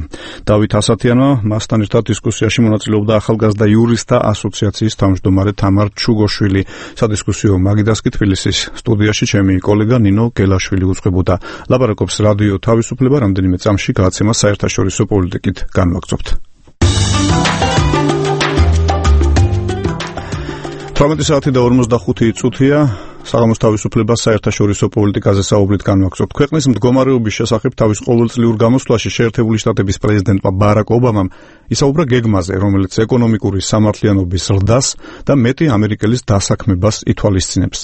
დავით ასათიანმა, მასთან ერთად დისკუსიაში მონაწილეობდა ახალგაზრდა იურისტთა ასოციაციის თავმჯდომარე თამარ ჩუგოშვილი. სადისკუსიო მაგიდასკი თბილისის სტუდიაში ჩემი კოლეგა ნინო გელაშვილი უწყებოდა. ლაპარაკობს რადიო თავისუფლება, რამდენიმე წამში გააცემა საერთაშორისო პოლიტიკით განვაგრძობთ. თვრამეტი საათი და ორმოცდახუთი წუთია. საღამოს თავისუფლებას საერთაშორისო პოლიტიკაზე საუბრით განვაგრძობთ. ქვეყნის მდგომარეობის შესახებ თავის ყოველწლიურ გამოსვლაში შეერთებული შტატების პრეზიდენტმა ბარაკ ობამამ ისაუბრა გეგმაზე, რომელიც ეკონომიკური სამართლიანობის ზრდას და მეტი ამერიკელის დასაქმებას ითვალისწინებს.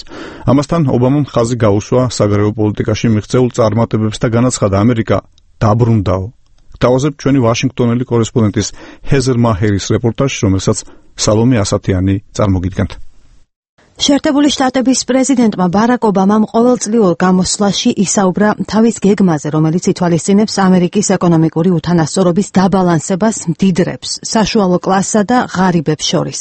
ამასთან ობამამ ხაზი გაუსვა საგარეო პოლიტიკაში მიღწეულ წარმატებებს და განაცხადა, ამერიკა დაბრუნდაო. დავაზებ ჩვენი ვაშინგტონელი კორესპონდენტის ჰეზერ მაჰერის რეპორტაჟს, რომელსაც სალომე ასათიანი წარმოგიდგენთ. შეერთებული შტატების პრეზიდენტმა ბარაკ ობამამ ყოველწლიურ გამოსვლაში ისაუბრა თავის გეგმაზე, რომელიც ითვალისწინებს ამერიკის ეკონომიკური უთანასწორობის დაბალანსებას მდიდრებს, საშუალო კლასსა და ღარიბებს შორის.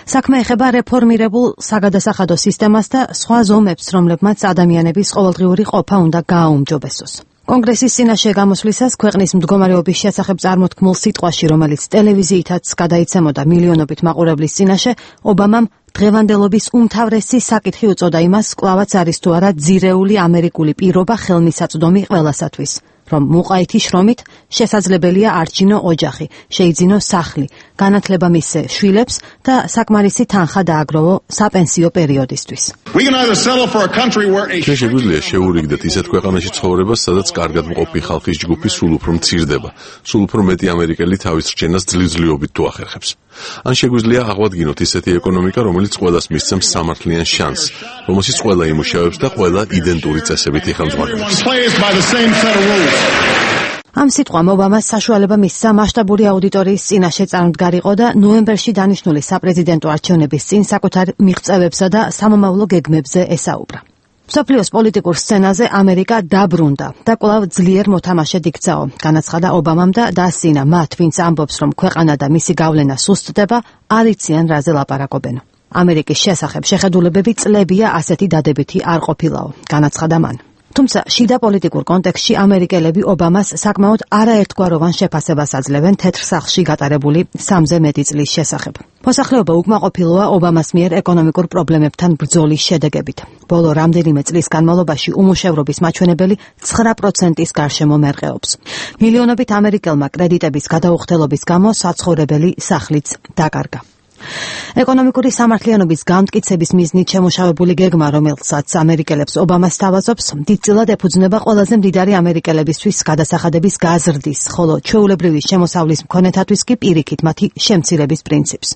საქმე ეხება რეფორმირებულ საგადასახადო სისტემას და სხვა ზომებს, რომლებმაც ადამიანების ყოველდღიური ყოფა უნდა გააუმჯობესოს. კონგრესის წინაშე გამოსვლისას ქვეყნის მდგომარეობის შესახებ წარმოთქმულ სიტყვაში, რომელიც ტელევიზიითაც გადაიცემოდა მილიონობით მაყურებლის წინაშე, ობამამ დღევანდელობის უმთავრესი საკითხი უწოდა იმას, კლავაც არის თუ არა ძირეული ამერიკული პირობა ხელმისაწვდომი ყველასათვის, რომ მუყაითი შრომით შესაძლებელია არჩინო ოჯახი, შეიძინო სახლი, განათლება მისცე შვილებს და საკმარისი თანხა დააგროვო საპენსიო პერიოდისთვის. ჩვენ შეგვიძლია შეურიგდეთ ისეთ ქვეყანაში ცხოვრებას, სადაც კარგად მყოფი ხალხის ჯგუფი სულ უფრო მცირდება, სულ უფრო მეტი ამერიკელი თავის რჩენას ძლივძლიობით თუ ახერხებს. ან შეგვიძლია აღვადგინოთ ისეთი ეკონომიკა, რომელიც ყველას მისცემს სამართლიან შანსს, რომელშიც ყველა იმუშავებს და ყველა იდენტური წესებით იხელმძღვანელობს. ამ სიტყვამ ობამას საშუალება მისცა მასშტაბური აუდიტორიის წინაშე წარმდგარიყო და ნოემბერში დანიშნული საპრეზიდენტო არჩევნების წინ საკუთარ მიღწევებსა და სამომავლო გეგმებზე ესაუბრა. მსოფლიოს პოლიტიკურ სცენაზე ამერიკა დაბრუნდა და კვლავ ძლიერ მოთამაშედ იქცაო, განაცხადა ობამამ და დაასწინა მათ, ვინც ამბობს, რომ ქვეყანა და მისი გავლენა სუსტდება, არ იციან რაზე ლაპარაკობენ. ამერიკის შესახებ შეხედულებები წლებია ასეთი დადებითი არ ყოფილაო, განაცხადა მან. თუმცა შიდა პოლიტიკურ კონტექსტში ამერიკელები ობამას საკმაოდ არაერთგვაროვან შეფასებას აძლევენ თეთრ სახლში გატარებული სამზე მეტი წლის შესახებ. მოსახლეობა უკმაყოფილოა ობამას მიერ ეკონომიკურ პრობლემებთან ბრძოლის შედეგებით. ბოლო რამდენიმე წლის განმავლობაში უმუშევრობის მაჩვენებელი ცხრა პროცენტის გარშემო მერყეობს. მილიონობით ამერიკელმა კრედიტების გადაუხდელობის გამო საცხოვრებელი სახლიც დაკარგა. ეკონომიკური სამართლიანობის გამტკიცების მიზნით შემუშავებული გეგმა, რომელსაც ამერიკელებს ობამას თავაზობს, დიდწილად ეფუძნება ყველაზე მდიდარი ამერიკელებისთვის გადასახადების გაზრდის, ხოლო ჩვეულებრივი შემოსავლის მქონეთათვის კი პირიქით მათი შემცირების პრინციპს.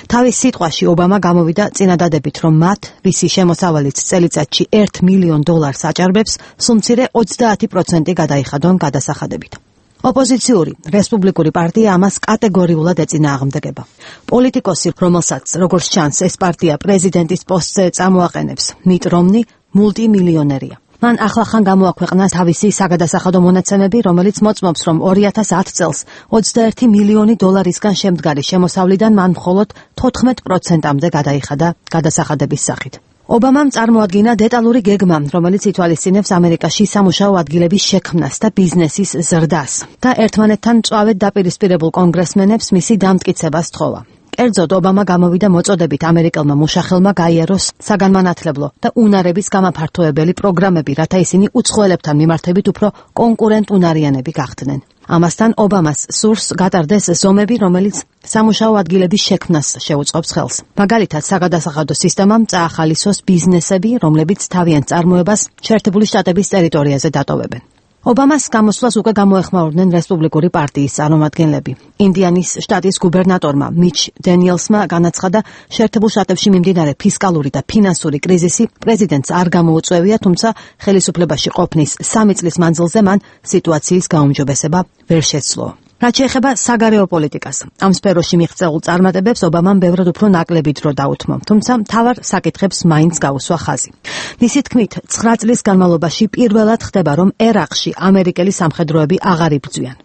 თავის სიტყვაში ობამა გამოვიდა წინადადებით, რომ მათ, ვისი შემოსავალიც წელიწადში ერთ მილიონ დოლარს აჭარბებს, სულ მცირე ოცდაათი პროცენტი გადაიხადონ გადასახადებით. ოპოზიციური რესპუბლიკური პარტია ამას კატეგორიულად ეწინააღმდეგება. პოლიტიკოსი, რომელსაც როგორც ჩანს ეს პარტია პრეზიდენტის პოსტზე წამოაყენებს, მიტ რომნი მულტიმილიონერია. მან ახლახან გამოაქვეყნა თავისი საგადასახადო მონაცემები, რომელიც მოწმობს, რომ ორი ათას ათი წელს ოცდაერთი მილიონი დოლარისგან შემდგარი შემოსავლიდან მან მხოლოდ თოთხმეტ პროცენტამდე გადაიხადა გადასახადების სახით. ობამამ წარმოადგინა დეტალური გეგმა, რომელიც ითვალისწინებს ამერიკაში სამუშაო ადგილების შექმნას და ბიზნესის ზრდას და ერთმანეთთან მწვავედ დაპირისპირებულ კონგრესმენებს მისი დამტკიცებას თხოვა. კერძოდ, ობამა გამოვიდა მოწოდებით ამერიკელმა მუშახელმა გაიაროს საგანმანათლებლო და უნარების გამაფართოებელი პროგრამები, რათა ისინი უცხოელებთან მიმართებით უფრო კონკურენტუნარიანები გახდნენ. ამასთან ობამას სურს გატარდეს ზომები, რომელიც სამუშაო ადგილების შექმნას შეუწყობს ხელს. მაგალითად, საგადასახადო სისტემამ წაახალისოს ბიზნესები, რომლებიც თავიანთ წარმოებას შეერთებული შტატების ტერიტორიაზე დატოვებენ. ობამას გამოსვლას უკვე გამოეხმაურდნენ რესპუბლიკური პარტიის წარმომადგენლები. ინდიანის შტატის გუბერნატორმა მიჩ დენიელსმა განაცხადა, შეერთებულ შტატებში მიმდინარე ფისკალური და ფინანსური კრიზისი პრეზიდენტს არ გამოუწევია, თუმცა ხელისუფლებაში ყოფნის სამი წლის მანძილზე მან სიტუაციის გაუმჯობესება ვერ შეცვლო. რაც შეეხება საგარეო პოლიტიკას, ამ სფეროში მიღწეულ წარმატებებს ობამამ ბევრად უფრო ნაკლები დრო დაუთმო, თუმცა მთავარ საკითხებს მაინც გაუსვა ხაზი. მისი თქმით, ცხრა წლის განმავლობაში პირველად ხდება, რომ ერაყში ამერიკელი სამხედროები აღარ იბრძვიან.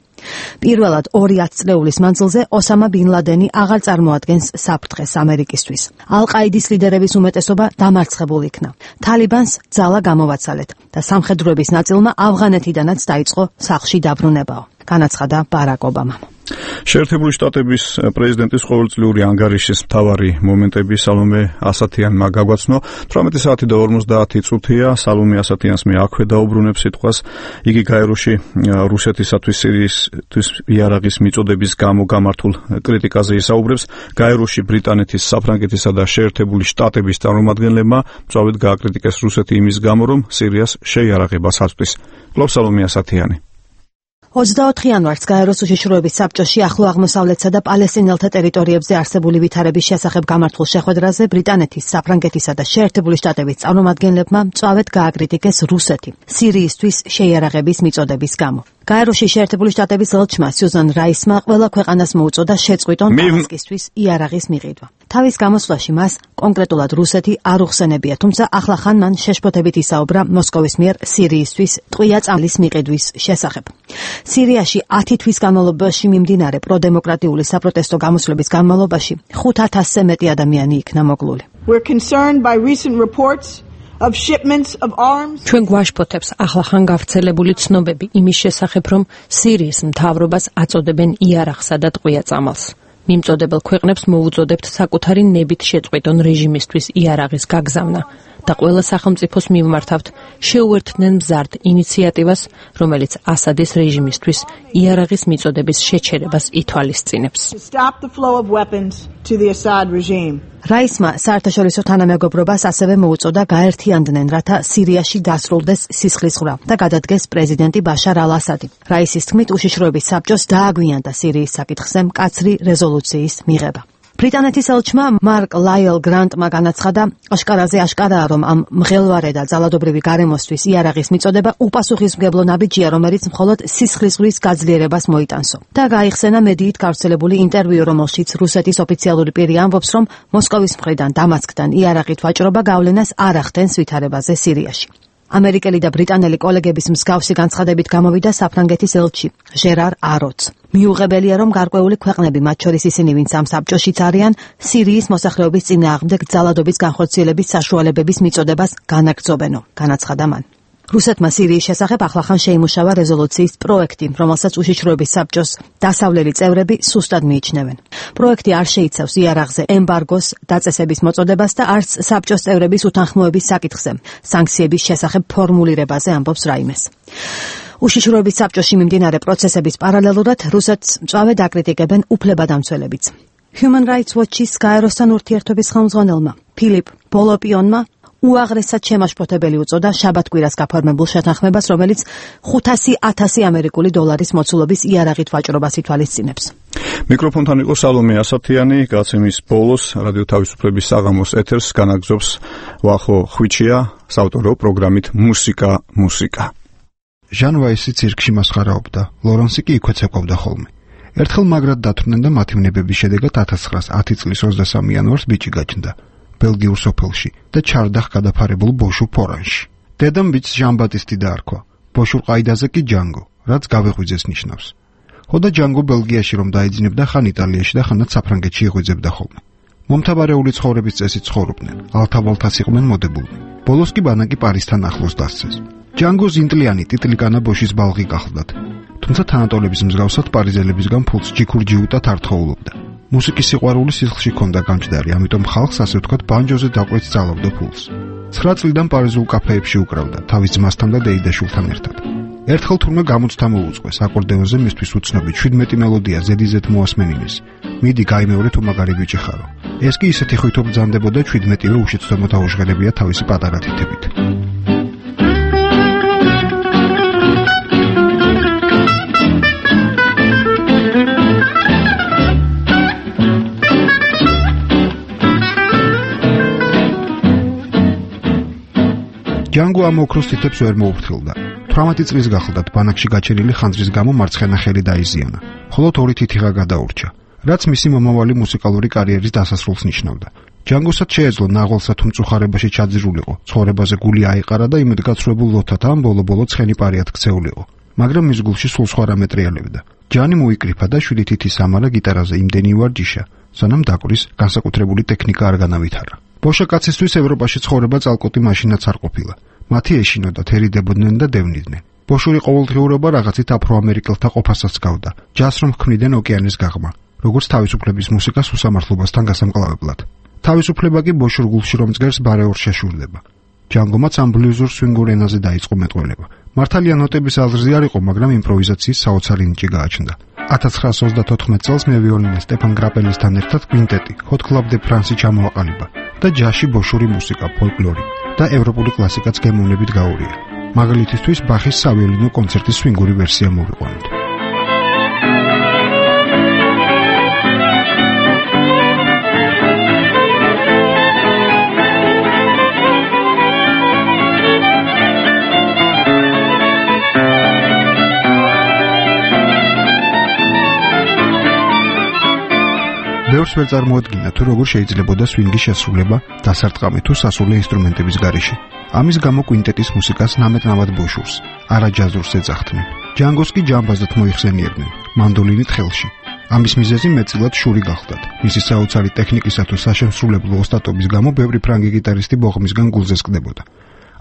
პირველად ორი ათწლეულის მანძილზე ოსამა ბინ ლადენი აღარ წარმოადგენს საფრთხეს ამერიკისთვის. ალ-ყაიდის ლიდერების უმეტესობა დამარცხებულ იქნა. თალიბანს ძალა გამოვაცალეთ და სამხედროების ნაწილმა ავღანეთიდანაც დაიწყო სახლში დაბრუნებაო. განაცხადა ბარაკ ობამამ. შეერთებული შტატების პრეზიდენტის ყოველწლიური ანგარიშის მთავარი მომენტები სალომე ასათიანმა გაგვაცნო. თვრამეტი საათი და ორმოცდაათი წუთია სალომე ასათიანს მე აქვე დაუბრუნებ სიტყვას. იგი გაეროში რუსეთისათვის სირიისთვის იარაღის მიწოდების გამო გამართულ კრიტიკაზე ისაუბრებს. გაეროში ბრიტანეთის, საფრანგეთისა და შეერთებული შტატების წარმომადგენლებმა მწვავედ გააკრიტიკეს რუსეთი იმის გამო, რომ სირიას შეიარაღებას აწვდის. გლობს სალომე ასათიანი. ოცდაოთხ იანვარს გაეროს უშიშროების საბჭოში ახლო აღმოსავლეთსა და პალესტინელთა ტერიტორიებზე არსებული ვითარების შესახებ გამართულ შეხვედრაზე ბრიტანეთის, საფრანგეთისა და შეერთებული შტატების წარმომადგენლებმა მწვავედ გააკრიტიკეს რუსეთი სირიისთვის შეიარაღების მიწოდების გამო. გაეროში შეერთებული შტატების ელჩმა სიუზან რაისმა ყველა ქვეყანას მოუწოდა შეწყვიტონ დამასკისთვის იარაღის მიყიდვა. თავის გამოსვლაში მას კონკრეტულად რუსეთი არ უხსენებია, თუმცა ახლახან მან შეშფოთებით ისაუბრა მოსკოვის მიერ სირიისთვის ტყვია წამლის მიყიდვის შესახებ. სირიაში ათი თვის განმავლობაში მიმდინარე პროდემოკრატიული საპროტესტო გამოსვლების განმავლობაში ხუთ ათასზე მეტი ადამიანი იქნა მოკლული. We're concerned by recent reports of shipments of arms. ჩვენ გვაშფოთებს ახლახან გავრცელებული ცნობები იმის შესახებ, რომ სირიის მთავრობას აწოდებენ იარაღსა და ტყვია წამალს. მიმწოდებელ ქვეყნებს მოუწოდებთ საკუთარი ნებით შეწყვეტონ რეჟიმისთვის იარაღის გაგზავნა და ყველა სახელმწიფოს მივმართავთ შეუერთდნენ მზარდ ინიციატივას, რომელიც ასადის რეჟიმისთვის იარაღის მიწოდების შეჩერებას ითვალისწინებს. რაისმა საერთაშორისო თანამეგობრობას ასევე მოუწოდა გაერთიანდნენ, რათა სირიაში დასრულდეს სისხლისღვრა და გადადგეს პრეზიდენტი ბაშარ ალ-ასადი. რაისის თქმით, უშიშროების საბჭოს დააგვიანდა სირიის საკითხზე მკაცრი რეზოლუციის მიღება. ბრიტანეთის ელჩმა მარკ ლაიელ გრანტმა განაცხადა, აშკარაზე აშკარაა, რომ ამ მღელვარე და ძალადობრივი გარემოსთვის იარაღის მიწოდება უპასუხისმგებლო ნაბიჯია, რომელიც მხოლოდ სისხლისღვრის გაძლიერებას მოიტანსო. და გაიხსენა მედიით გავრცელებული ინტერვიუ, რომელშიც რუსეთის ოფიციალური პირი ამბობს, რომ მოსკოვის მხრიდან დამასკთან იარაღით ვაჭრობა გავლენას არ ახდენს ვითარებაზე სირიაში. ამერიკელი და ბრიტანელი კოლეგების მსგავსი განცხადებით გამოვიდა საფრანგეთის ელჩი ჟერარ აროც. მიუღებელია, რომ გარკვეული ქვეყნები, მათ შორის ისინი, ვინც ამ საბჭოშიც არიან, სირიის მოსახლეობის წინააღმდეგ ძალადობის განხორციელების საშუალებების მიწოდებას განაგრძობენო, განაცხადა მან. რუსეთმა სირიის შესახებ ახლახან შეიმუშავა რეზოლუციის პროექტი, რომელსაც უშიშროების საბჭოს დასავლელი წევრები სუსტად მიიჩნევენ. პროექტი არ შეიცავს იარაღზე ემბარგოს დაწესების მოწოდებას და არც საბჭოს წევრების უთანხმოების საკითხზე, სანქციების შესახებ ფორმულირებაზე ამბობს რაიმეს. უშიშროების საბჭოში მიმდინარე პროცესების პარალელურად რუსეთს მწვავედ აკრიტიკებენ უფლებადამცველებიც. Human Rights Watch-ის გაეროსთან ურთიერთობის ხელმძღვანელმა ფილიპ ბოლოპიონმა უაღრესად შემაშფოთებელი უწოდა შაბათ-კვირას გაფორმებულ შეთანხმებას, რომელიც ხუთასი ათასი ამერიკული დოლარის მოცულობის იარაღით ვაჭრობას ითვალისწინებს. მიკროფონთან იყო სალომე ასათიანი, გაცემის ბოლოს რადიო თავისუფლების საღამოს ეთერს განაგზობს ვახო ხვიჩია, საავტორო პროგრამით მუსიკა მუსიკა. ჟან ვაისი ცირკში მასხარაობდა, ლორენსი კი იქვე ცეკვავდა ხოლმე. ერთხელ მაგრად დათვრნენ და მათი ვნებების შედეგად ათას ცხრაასი წლის ოცდასამი იანვარს ბიჭი გაჩნდა ბელგიურ სოფელში და ჩარდახ გადაფარებულ ბოშურ ფორანში. დედამ ბიჭს ჟან ბატისტი დაარქვა, ბოშურ ყაიდაზე კი ჯანგო, რაც გავეღვიძეს ნიშნავს. ხოდა ჯანგო ბელგიაში რომ დაიძინებდა, ხან იტალიაში და ხანაც საფრანგეთში იღვიძებდა ხოლმე. მომთაბარეული ცხოვრების წესით ცხოვრობდნენ, ალთავალთას იყვნენ მოდებულნი. ბოლოს კი ბანაკი პარიზთან ახლოს დასცეს. ჯანგო ზინტლიანი ტიტლიკანა ბოშის ბალღი გახლდათ, თუმცა თანატოლების მსგავსად პარიზელებისგან ფულს ჯიქურ-ჯიუტად არ თხოვლობდა. მუსიკის სიყვარული სისხლში ჰქონდა გამჯდარი, ამიტომ ხალხს ასე ვთქვათ ბანჯოზე დაკვეთ სწავლობდა ფულს. ცხრა წლიდან პარიზულ კაფეებში უკრავდა, თავის ძმასთან და დეიდაშვილთან ერთად. ერთხელ თურმე გამოცდა მოუწყვეს აკორდეონზე მისთვის უცნობი ჩვიდმეტი მელოდია ზედიზედ მოასმენინის. მიდი გაიმეორე თუ მაგარი ბიჭი ხარო. ეს კი ისეთი ხვით ბრძანდებოდა ჩვიდმეტივე უშეცდომო დაუჟღერებია თავისი პატარა თითებით. ჯანგო ამ ოქროს თითებს ვერ მოუფრთხილდა. თვრამეტი წლის გახლდათ ბანაკში გაჩენილი ხანძრის გამო მარცხენა ხელი დაიზიანა, ხოლო ორი თითიღა გადაურჩა, რაც მისი მომავალი მუსიკალური კარიერის დასასრულს ნიშნავდა. ჯანგოსაც შეეძლო ნაღვალსა თუ მწუხარებაში ჩაძირულიყო, ცხოვრებაზე გული აიყარა და იმედგაცრუებულ ლოთათა ამ ბოლო-ბოლო ცხენი პარიად ქცეულიყო, მაგრამ მის გულში სულ სხვა რამე ტრიალებდა. ჯანი მოიკრიფა და შვიდი თითის ამარა გიტარაზე იმდენი ვარჯიშა, სანამ დაკვრის განსაკუთრებული ტექნიკა არ განავითარა. ბოშა კაცისთვის ევროპაში ცხოვრება წალკოტი მაშინაც არ ყოფილა. მათი ეშინოდა, თერიდებოდნენ და დევნიდნენ. ბოშური ყოველდღიურობა რაღაცით აფრო-ამერიკელთა ყოფასაც გავდა, ჯაზს რომ ჰქმნიდნენ ოკეანის გაღმა, როგორც თავისუფლების მუსიკას უსამართლობასთან გასამკლავებლად. თავისუფლება კი ბოშურ გულში რომ ძლევს ბარეორ შეშურდება. ჯანგომაც ამ ბლუზურ სვინგურ ენაზე დაიწყო მეტყველება. მართალია ნოტების აზრზე არ იყო, მაგრამ იმპროვიზაციის საოცარი ნიჭი გააჩნდა. ათას ცხრაასი ოცდათოთხმეტ წელს მე ვიოლინე სტეფან გრაპელისთან ერთად კვინტეტი, Hot Club de France ჩამოაყალიბა და ჯაზში ბოშური მუსიკა, ფოლკლორი და ევროპული კლასიკაც გემოვნებით გაურია. მაგალითისთვის ბახის სავიოლინო კონცერტის სვინგური ვერსია მოვიყვანოთ. ბევრს ვერ წარმოადგინა თუ როგორ შეიძლებოდა სვინგის შესრულება დასარტყამი თუ სასულე ინსტრუმენტების გარეშე. ამის გამო კვინტეტის მუსიკას ნამეთ-ნავად ბოშურს, არა ჯაზურს ეძახდნენ. ჯანგოს კი ჯამბაზად მოიხსენიებდნენ, მანდოლინით ხელში. ამის მიზეზი მეტწილად შური გახლდათ. მისი საოცარი ტექნიკისა თუ საშემსრულებლო ოსტატობის გამო ბევრი ფრანგი გიტარისტი ბოღმისგან გულზე სკდებოდა.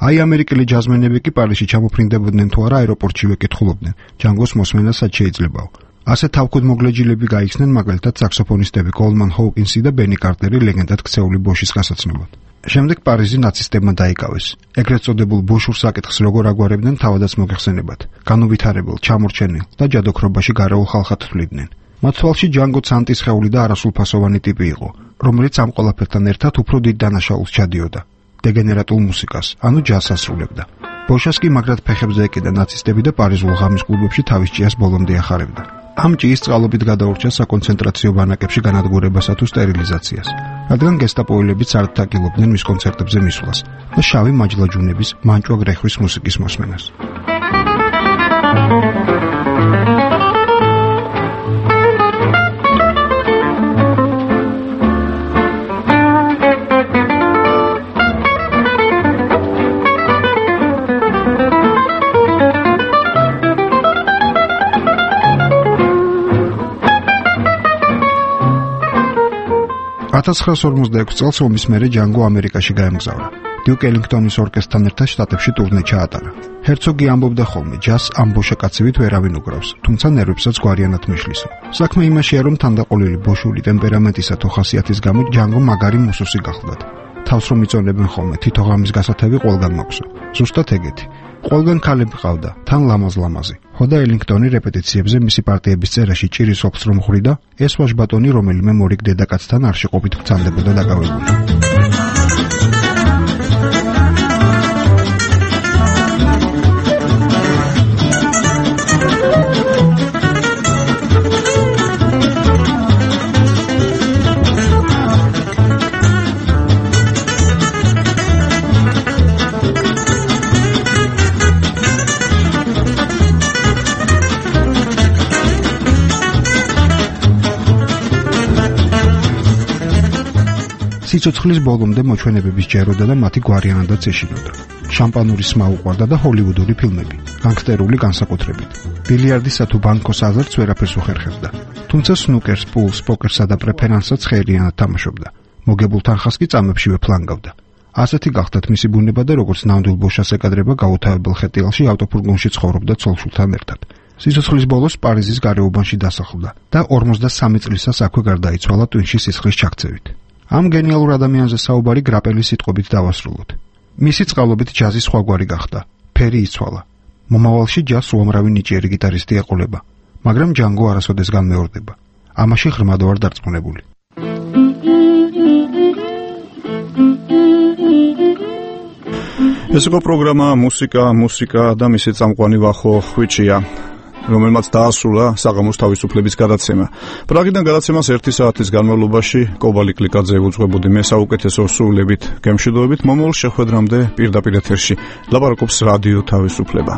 აი ამერიკელი ჯაზმენები კი პარიზში ჩამოფრინდებოდნენ თუ არა აეროპორტშივე კითხულობდნენ, ჯანგოს მოსმენა სად შეიძლებაო. ასე თავქუდმოგლეჯილები გაიხსნენ მაგალითად საქსოფონისტები კოლმან ჰოუკინსი და ბენი კარტერი ლეგენდად ქცეული ბოშის გასაცნობად. შემდეგ პარიზი ნაცისტებმა დაიკავეს. ეგრეთ წოდებულ ბოშურ საკითხს როგორ აგვარებდნენ თავადაც მოგეხსენებათ. განუვითარებელ, ჩამორჩენილ და ჯადოქრობაში გარეულ ხალხად თვლიდნენ. მათ თვალში ჯანგო ცანტის ხეული და არასრულფასოვანი ტიპი იყო, რომელიც ამ ყველაფერთან ერთად უფრო დიდ დანაშაულს ჩადიოდა. დეგენერატულ მუსიკას, ანუ ჯაზს ასრულებდა. ბოშას კი მაგრად ფეხებზე ეკიდა ნაცისტები და პარიზულ ღამის კლუბებში თავის ჭიას ბოლომდე ახარებდა. ამ ჭიის წყალობით გადაურჩა საკონცენტრაციო ბანაკებში განადგურებასა თუ სტერილიზაციას, რადგან გესტაპოელებიც არ დაკილობდნენ მის კონცერტებზე მისვლას და შავი მაჯლაჯუნების, მანჭვა გრეხვის მუსიკის მოსმენას. ათას ცხრაასი ორმოცდაექვსი წელს ომის მერე ჯანგო ამერიკაში გაემგზავრა. დიუკ ელინგტონის ორკესტრთან ერთად შტატებში ტურნე ჩაატარა. ჰერცოგი ამბობდა ხოლმე, ჯაზს ამ ბოშაკაცივით ვერავინ უკრავს, თუმცა ნერვებსაც გვარიანად მიშლისო. საქმე იმაშია, რომ თანდაყოლილი ბოშური ტემპერამენტისა თუ ხასიათის გამო ჯანგო მაგარი მუსუსი გახლდათ. თავს რომ იწონებენ ხოლმე, თითო ღამის გასათევი ყველგან მაქვსო. ზუსტად ეგეთი. ყველგან ქალები ყავდა, თან ლამაზ-ლამაზი. დაახო და ელინგტონი რეპეტიციებზე მისი პარტიების წერაში ჭირის ოფს რომ ხვდა, ეს ვაჟბატონი რომელიმე მორიგ დედაკაცთან არ შეყოფით გრძანდებოდა დაკავებული. სიცოცხლის ბოლომდე მოჩვენებების ჯეროდა და მათი გვარიანადაც ეშინოდა. შამპანური სმა უყვარდა და ჰოლივუდური ფილმები, განგსტერული განსაკუთრებით. ბილიარდისა თუ ბანკოს აზრს ვერაფერს უხერხებდა. თუმცა სნუკერს, პულს, პოკერსა და პრეფერანსსაც ხეირიანად თამაშობდა. მოგებულ თანხას კი წამებშივე ფლანგავდა. ასეთი გახდათ მისი ბუნება და როგორც ნამდვილ ბოშას ეკადრება გაუთავებელ ხეტიალში ავტოფურგონში ცხოვრობდა ცოლ-შვილთან ერთად. სიცოცხლის ბოლოს პარიზის გარეუბანში დასახლდა და ორმოცდასამი წლისას აქვე გარდაიცვალა ტვინში სისხლის ჩაქცევით. ამ გენიალურ ადამიანზე საუბარი გრაპელის სიტყვებით დავასრულოთ. მისი წყალობით ჯაზი სხვაგვარი გახდა. ფერი იცვალა. მომავალში ჯაზს უამრავი ნიჭიერი გიტარისტი ეყოლება, მაგრამ ჯანგო არასოდეს განმეორდება. ამაში ღრმად ვარ დარწმუნებული. ეს იყო პროგრამა მუსიკა, მუსიკა და მისი წამყვანი ვახო ხვიჩია, რომელმაც დაასრულა საღამოს თავისუფლების გადაცემა. პრაღიდან გადაცემას ერთი საათის განმავლობაში კობალი კლიკაძე უძღვებოდი მე საუკეთესო სრულებით გემშვიდობით. მომავალ შეხვედრამდე პირდაპირ ეთერში ლაპარაკობს რადიო თავისუფლება.